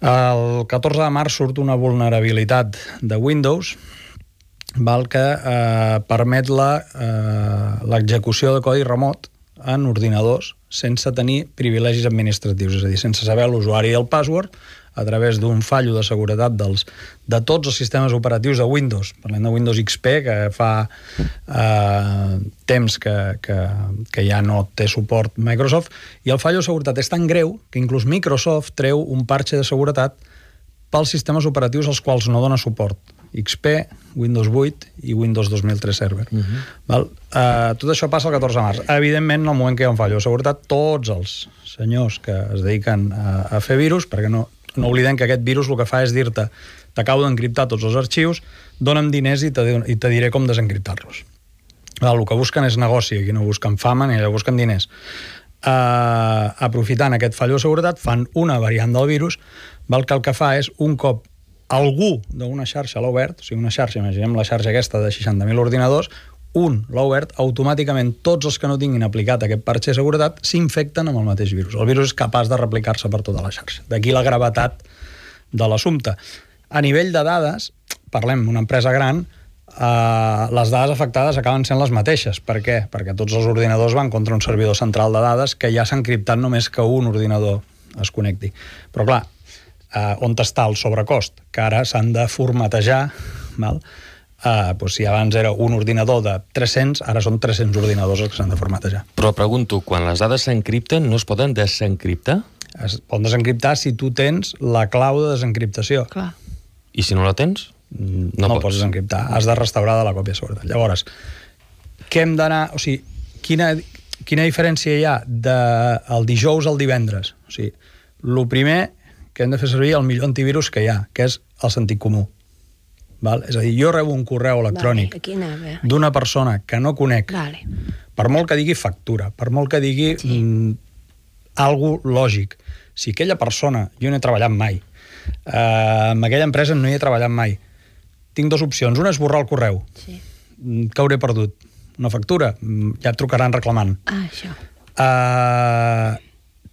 Speaker 2: El catorze de març surt una vulnerabilitat de Windows val, que eh, permet la, eh, l'execució de codi remot en ordinadors sense tenir privilegis administratius, és a dir, sense saber l'usuari i el password, a través d'un fallo de seguretat dels, de tots els sistemes operatius de Windows. Parlem de Windows X P, que fa eh, temps que, que, que ja no té suport Microsoft, i el fallo de seguretat és tan greu que inclús Microsoft treu un parche de seguretat pels sistemes operatius als quals no dona suport. X P, Windows vuit i Windows dos mil tres Server. Uh-huh. Val? Uh, tot això passa el catorze de març. Evidentment, en el moment que hi ha un fallo de seguretat, tots els senyors que es dediquen a, a fer virus, perquè no, no oblidem que aquest virus el que fa és dir-te t'acabo d'encriptar tots els arxius, dona'm diners i te, i te diré com desencriptar-los. Val? El que busquen és negoci, aquí no busquen fama ni busquen diners. Uh, aprofitant aquest fallo de seguretat, fan una variant del virus, val, que el que fa és, un cop algú d'una xarxa l'ha obert, o sigui, una xarxa, imaginem la xarxa aquesta de seixanta mil ordinadors, un l'ha obert, automàticament tots els que no tinguin aplicat aquest parche de seguretat s'infecten amb el mateix virus. El virus és capaç de replicar-se per tota la xarxa. D'aquí la gravetat de l'assumpte. A nivell de dades, parlem d'una empresa gran, eh, les dades afectades acaben sent les mateixes. Per què? Perquè tots els ordinadors van contra un servidor central de dades que ja s'ha encriptat només que un ordinador es connecti. Però clar, eh, on està el sobrecost? Que ara s'han de formatejar, val? Uh, doncs si abans era un ordinador de tres-cents, ara són tres-cents ordinadors els que s'han de formatejar.
Speaker 1: Però pregunto, quan les dades s'encripten, no es poden desencriptar?
Speaker 2: Es poden desencriptar si tu tens la clau de desencriptació.
Speaker 3: Clar.
Speaker 1: I si no la tens?
Speaker 2: No,
Speaker 1: No
Speaker 2: no
Speaker 1: pots.
Speaker 2: pots desencriptar, has de restaurar de la còpia de seguretat. Llavors, què hem d'anar... O sigui, quina, quina diferència hi ha del dijous al divendres? O sigui, el primer que hem de fer servir el millor antivirus que hi ha, que és el sentit comú. Val? És a dir, jo rebo un correu electrònic
Speaker 3: Vale, aquí anava.
Speaker 2: d'una persona que no conec,
Speaker 3: Vale.
Speaker 2: per molt que digui factura, per molt que digui sí. mm, algo lògic, si aquella persona, jo no he treballat mai, eh, amb aquella empresa no hi he treballat mai, tinc dues opcions. Una és borrar el correu.
Speaker 3: Sí.
Speaker 2: Què hauré perdut? Una factura? Ja et trucaran reclamant.
Speaker 3: Ah, això.
Speaker 2: Uh,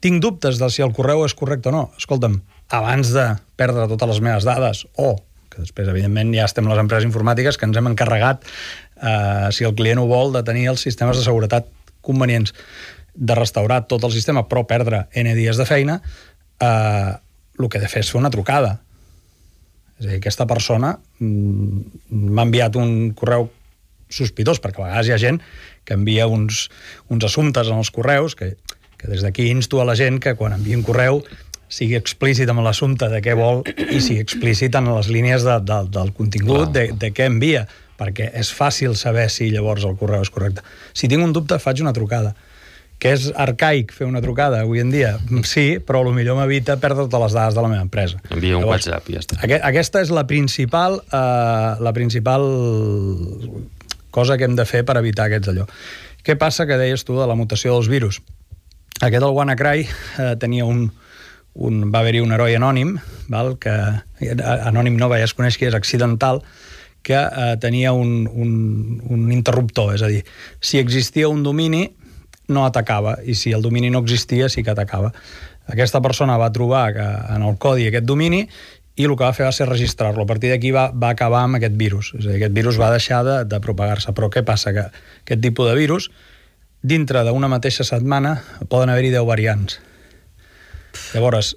Speaker 2: tinc dubtes de si el correu és correcte o no. Escolta'm, abans de perdre totes les meves dades, o que després, evidentment, ja estem les empreses informàtiques que ens hem encarregat, uh, si el client ho vol, de tenir els sistemes de seguretat convenients, de restaurar tot el sistema, però perdre N dies de feina, uh, el que he de fer és fer una trucada. És a dir, aquesta persona m'ha enviat un correu sospitós, perquè a vegades hi ha gent que envia uns, uns assumptes en els correus, que, que des d'aquí insto a la gent que quan envia un correu sigui explícit amb l'assumpte de què vol i sigui explícit en les línies de, de, del contingut, de, de què envia, perquè és fàcil saber si llavors el correu és correcte. Si tinc un dubte, faig una trucada. Que és arcaic fer una trucada avui en dia? Sí, però potser m'evita perdre totes les dades de la meva empresa.
Speaker 1: Envia un
Speaker 2: Llavors,
Speaker 1: WhatsApp i ja està.
Speaker 2: Aqu aquesta és la principal, eh, la principal cosa que hem de fer per evitar aquests allò. Què passa que deies tu de la mutació dels virus? Aquest, el WannaCry, eh, tenia un, un... va haver-hi un heroi anònim, val? Que anònim no, ja es coneix que és accidental, que eh, tenia un, un, un interruptor, és a dir, si existia un domini, no atacava, i si el domini no existia, sí que atacava. Aquesta persona va trobar que en el codi aquest domini i el que va fer va ser registrar-lo. A partir d'aquí va, va acabar amb aquest virus. És a dir, aquest virus va deixar de, de propagar-se. Però què passa? Que aquest tipus de virus, dintre d'una mateixa setmana, poden haver-hi deu variants. Llavors,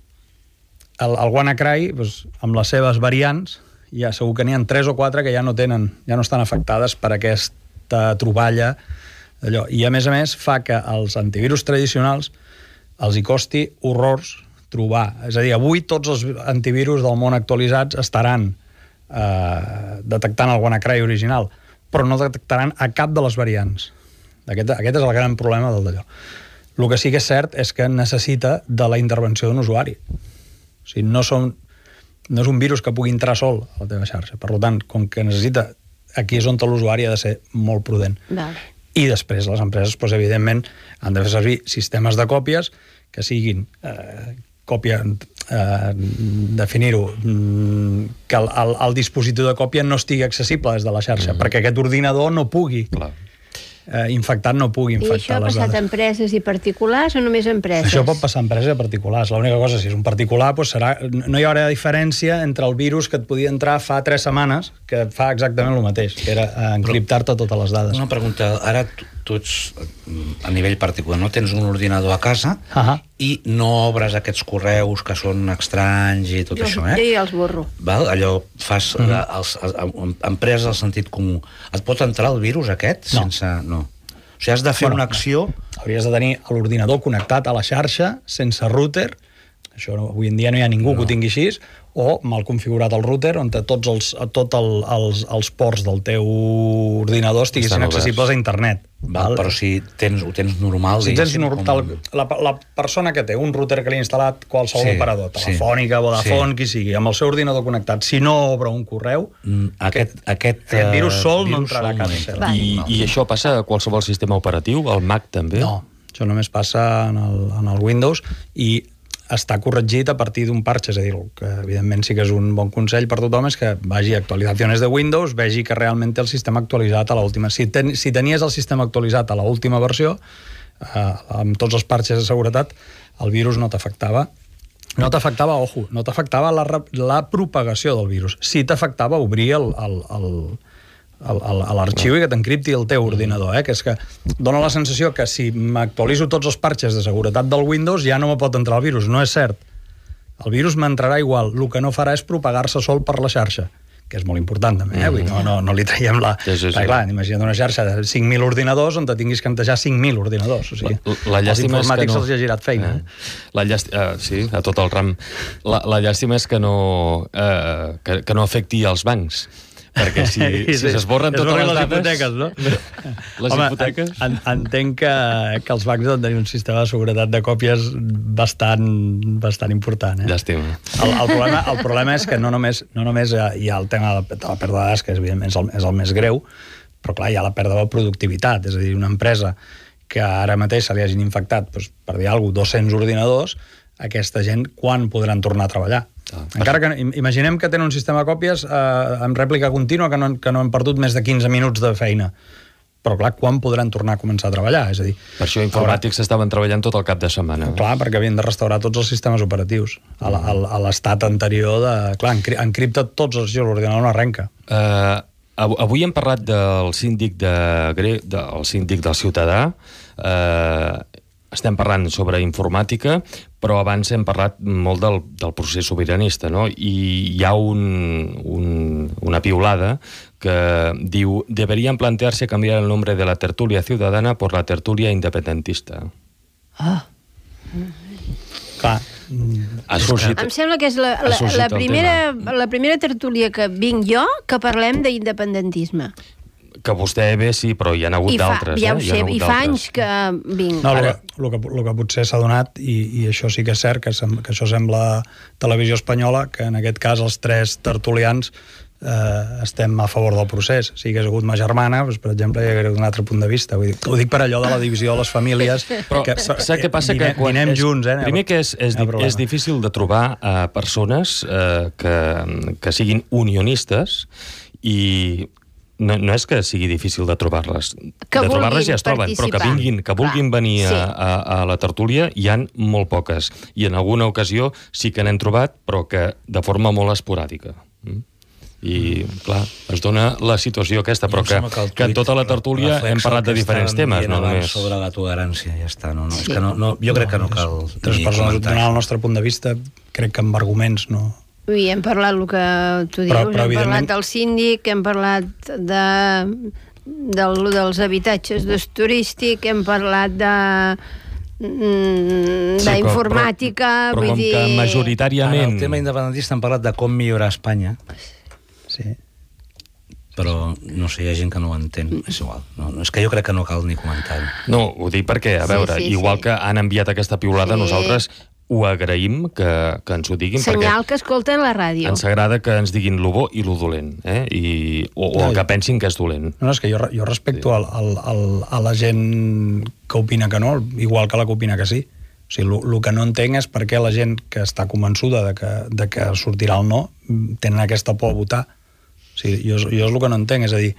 Speaker 2: el, el WannaCry, doncs, amb les seves variants, ja segur que n'hi ha tres o quatre que ja no tenen, ja no estan afectades per aquesta troballa d'allò. I a més a més fa que els antivirus tradicionals els hi costi horrors trobar. És a dir, avui tots els antivirus del món actualitzats estaran eh, detectant el WannaCry original, però no detectaran a cap de les variants. Aquest, aquest és el gran problema del d'allò. El que sí que és cert és que necessita de la intervenció d'un usuari. O sigui, no, són, no és un virus que pugui entrar sol a la teva xarxa. Per tant, com que necessita, aquí és on l'usuari ha de ser molt prudent.
Speaker 3: Vale.
Speaker 2: I després les empreses, doncs, evidentment, han de fer servir sistemes de còpies que siguin eh, còpia, eh, definir-ho, que el, el, el dispositiu de còpia no estigui accessible des de la xarxa, mm-hmm. perquè aquest ordinador no pugui, eh, infectat no pugui infectar les dades.
Speaker 3: I això ha passat a empreses i particulars o només a empreses?
Speaker 2: Això pot passar a empreses i a particulars. L'única cosa, si és un particular, doncs serà, no hi haurà diferència entre el virus que et podia entrar fa tres setmanes, que fa exactament el mateix, que era encriptar-te totes les dades.
Speaker 4: Una pregunta, ara tu, tu ets a nivell particular, no? Tens un ordinador a casa uh-huh. i no obres aquests correus que són estranys i tot
Speaker 3: jo,
Speaker 4: això, eh?
Speaker 3: Jo ja els borro.
Speaker 4: Val? Allò fas uh-huh. la, els, els, empreses del sentit comú. Et pot entrar el virus aquest?
Speaker 2: No.
Speaker 4: Sense... no. O sigui, has de fer bueno, una acció...
Speaker 2: Hauries de tenir l'ordinador connectat a la xarxa, sense router, això no, avui en dia no hi ha ningú no. que ho tingui així, o mal configurat el router, on tots els, tot el, els, els ports del teu ordinador estiguessin accessibles a internet.
Speaker 4: Val, però si tens, ho tens normal...
Speaker 2: Si tens normal, com... la, la persona que té un router que li ha instal·lat qualsevol sí, operador, telefònica, sí, Vodafone, sí. qui sigui, amb el seu ordinador connectat, si no obre un correu,
Speaker 4: mm, aquest, aquest,
Speaker 2: aquest virus sol
Speaker 4: virus
Speaker 2: no entrarà a casa seva.
Speaker 1: I, I això passa a qualsevol sistema operatiu? Al Mac també?
Speaker 2: No, això només passa en el, en el Windows i està corregit a partir d'un parche, és a dir, que evidentment sí que és un bon consell per tothom és que vagi a actualitzacions de Windows, vegi que realment té el sistema actualitzat a l'última. Si, ten, si tenies el sistema actualitzat a l'última versió, eh, amb tots els parches de seguretat, el virus no t'afectava. No t'afectava, ojo, no t'afectava la, la propagació del virus. Sí t'afectava obrir el, el, el, a l'arxiu i que t'encripti el teu ordinador, eh? Que és que dona la sensació que si m'actualitzo tots els parches de seguretat del Windows ja no me pot entrar el virus. No és cert. El virus m'entrarà igual. El que no farà és propagar-se sol per la xarxa, que és molt important també, eh? Vull dir, no, no, no li traiem la...
Speaker 1: Sí, sí, sí.
Speaker 2: Perquè, clar, imagina't una xarxa de cinc mil ordinadors on te tinguis que entejar cinc mil ordinadors. O sigui,
Speaker 1: la, la
Speaker 2: els informàtics no... se'ls ha girat feina.
Speaker 1: Eh? La llàstima, eh, sí, a tot el ram. La, la llàstima és que no, eh, que, que no afecti els bancs. Perquè si, si
Speaker 2: sí,
Speaker 1: s'esborren totes les,
Speaker 2: les
Speaker 1: dades...
Speaker 2: hipoteques, no?
Speaker 1: Les
Speaker 2: Home,
Speaker 1: hipoteques...
Speaker 2: En, entenc que, que els bancs han de tenir un sistema de seguretat de còpies bastant, bastant important. Eh?
Speaker 1: Llàstima.
Speaker 2: El, el, problema, el problema és que no només, no només hi ha el tema de la, de la pèrdua de dades, que evidentment és el, és el més greu, però clar, hi ha la pèrdua de productivitat. És a dir, una empresa que ara mateix se li hagin infectat, doncs, per dir alguna cosa, dos-cents ordinadors, aquesta gent quan podran tornar a treballar? Ah, encara que imaginem que tenen un sistema de còpies eh, amb rèplica contínua que no, que no han perdut més de quinze minuts de feina, però clar, quan podran tornar a començar a treballar? És a dir,
Speaker 1: per això informàtics estaven treballant tot el cap de setmana.
Speaker 2: Clar, perquè havien de restaurar tots els sistemes operatius a l'estat anterior de... Clar, encripta tots els giros, l'ordinador no arrenca.
Speaker 1: Uh, avui hem parlat del síndic de, del síndic del ciutadà. Uh, estem parlant sobre informàtica, però abans hem parlat molt del, del procés sobiranista, no? I hi ha un, un, una piulada que diu: deberían plantearse cambiar el nombre de la tertulia ciudadana por la tertulia independentista.
Speaker 3: Ah.
Speaker 2: Clar.
Speaker 1: Ha sorgit,
Speaker 3: em sembla que és la, la, la, primera, la primera tertúlia que vinc jo que parlem d'independentisme.
Speaker 1: Que vostè ve, sí, però hi ha hagut d'altres.
Speaker 3: Ja ho
Speaker 1: eh?
Speaker 3: sé, i fa anys que vinc.
Speaker 2: No, el, el, que, el que potser s'ha donat, i, i això sí que és cert, que, sem, que això sembla televisió espanyola, que en aquest cas els tres tertulians eh, estem a favor del procés. Si hi hagués hagut ma germana, doncs, per exemple, hi hagués un altre punt de vista. Vull dir, ho dic per allò de la divisió de les famílies.
Speaker 1: Però que, saps què passa?
Speaker 2: Dine,
Speaker 1: que quan
Speaker 2: dinem
Speaker 1: és,
Speaker 2: junts, eh?
Speaker 1: Primer que és, és, és difícil de trobar eh, persones eh, que, que siguin unionistes, i no, no és que sigui difícil de trobar-les. De trobar-les ja es troben, però que vinguin, que vulguin Clar, venir sí. a, a, a la tertúlia hi han molt poques. I en alguna ocasió sí que n'hem trobat, però que de forma molt esporàdica. I, clar, es dona la situació aquesta, però que, que, que en tota la tertúlia hem parlat de diferents temes, no només.
Speaker 4: Sobre la tolerància, ja està. No, no, sí. és que no, no, jo crec que no cal...
Speaker 2: Tres persones donant el nostre punt de vista, crec que amb arguments no...
Speaker 3: I hem parlat el que tu dius, però, però, hem parlat del síndic, hem parlat de, del, dels habitatges d'ús turístic, hem parlat de d'informàtica,
Speaker 1: sí, però, però, però
Speaker 3: vull dir...
Speaker 1: que majoritàriament...
Speaker 4: En el tema independentista hem parlat de com millorar Espanya.
Speaker 2: Sí.
Speaker 4: Però, no sé, hi ha gent que no ho entén. És igual. No, és que jo crec que no cal ni comentar-ho.
Speaker 1: No, ho dic perquè, a veure, sí, sí, igual sí. que han enviat aquesta piulada, sí. nosaltres ho agraïm que, que ens ho diguin.
Speaker 3: Senyal que escolten la ràdio.
Speaker 1: Ens agrada que ens diguin lo bo i lo dolent, eh? I, o, o el que pensin que és dolent.
Speaker 2: No, no és que jo, jo respecto sí. al, al, a la gent que opina que no, igual que la que opina que sí. O sigui, el que no entenc és per què la gent que està convençuda de que, de que sortirà el no tenen aquesta por a votar. O sigui, jo, jo és el que no entenc, és a dir...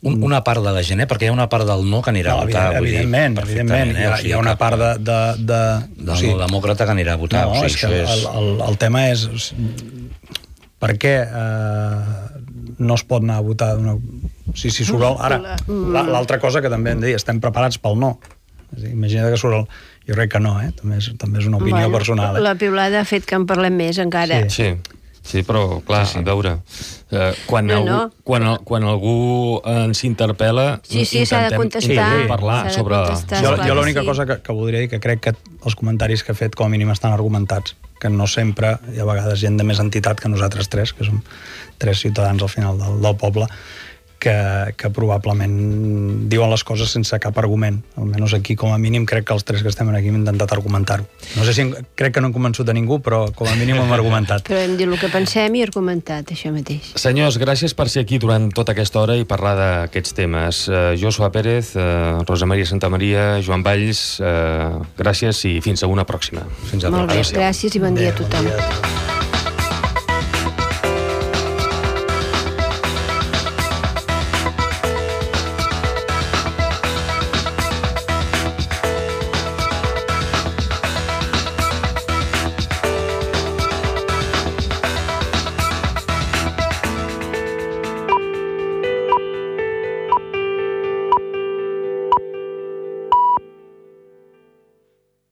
Speaker 4: Un, una part de la gent, eh? Perquè hi ha una part del no que anirà no, a votar.
Speaker 2: Evidentment, dir, evidentment. Eh? Hi ha, o sigui, hi ha una part de... de, de,
Speaker 4: de o sigui, no demòcrata que anirà a votar.
Speaker 2: No,
Speaker 4: o sigui,
Speaker 2: és que
Speaker 4: és...
Speaker 2: el, el, el tema és... Per què eh, no es pot anar a votar? Una... Si, si surt el... Ara, l'altra cosa que també hem de dir, estem preparats pel no. És dir, imagina't que surt el... Jo crec que no, eh? També és, també és una opinió bueno, personal. Eh?
Speaker 3: La piulada ha fet que en parlem més, encara.
Speaker 1: Sí, sí. Sí, però, clar, sí, sí. a veure, eh, quan, no, algú, no. Quan, quan algú ens interpel·la,
Speaker 3: sí, sí, s'ha de contestar,
Speaker 1: sí, parlar
Speaker 3: de
Speaker 1: sobre...
Speaker 3: contestar,
Speaker 2: jo jo l'única sí. cosa que, que voldria dir, que crec que els comentaris que he fet com a mínim estan argumentats, que no sempre hi ha vegades gent de més entitat que nosaltres tres, que som tres ciutadans al final del, del poble, que, que probablement diuen les coses sense cap argument. Almenys aquí, com a mínim, crec que els tres que estem aquí hem intentat argumentar-ho. No sé si crec que no hem convençut a ningú, però com a mínim hem argumentat.
Speaker 3: Però hem dit el que pensem i argumentat, això mateix.
Speaker 1: Senyors, gràcies per ser aquí durant tota aquesta hora i parlar d'aquests temes. Uh, Joshua Pérez, uh, Rosa Maria Santamaria, Joan Valls, uh, gràcies i fins a una pròxima.
Speaker 3: Fins a Molt bé, gràcies i bon dia a tothom.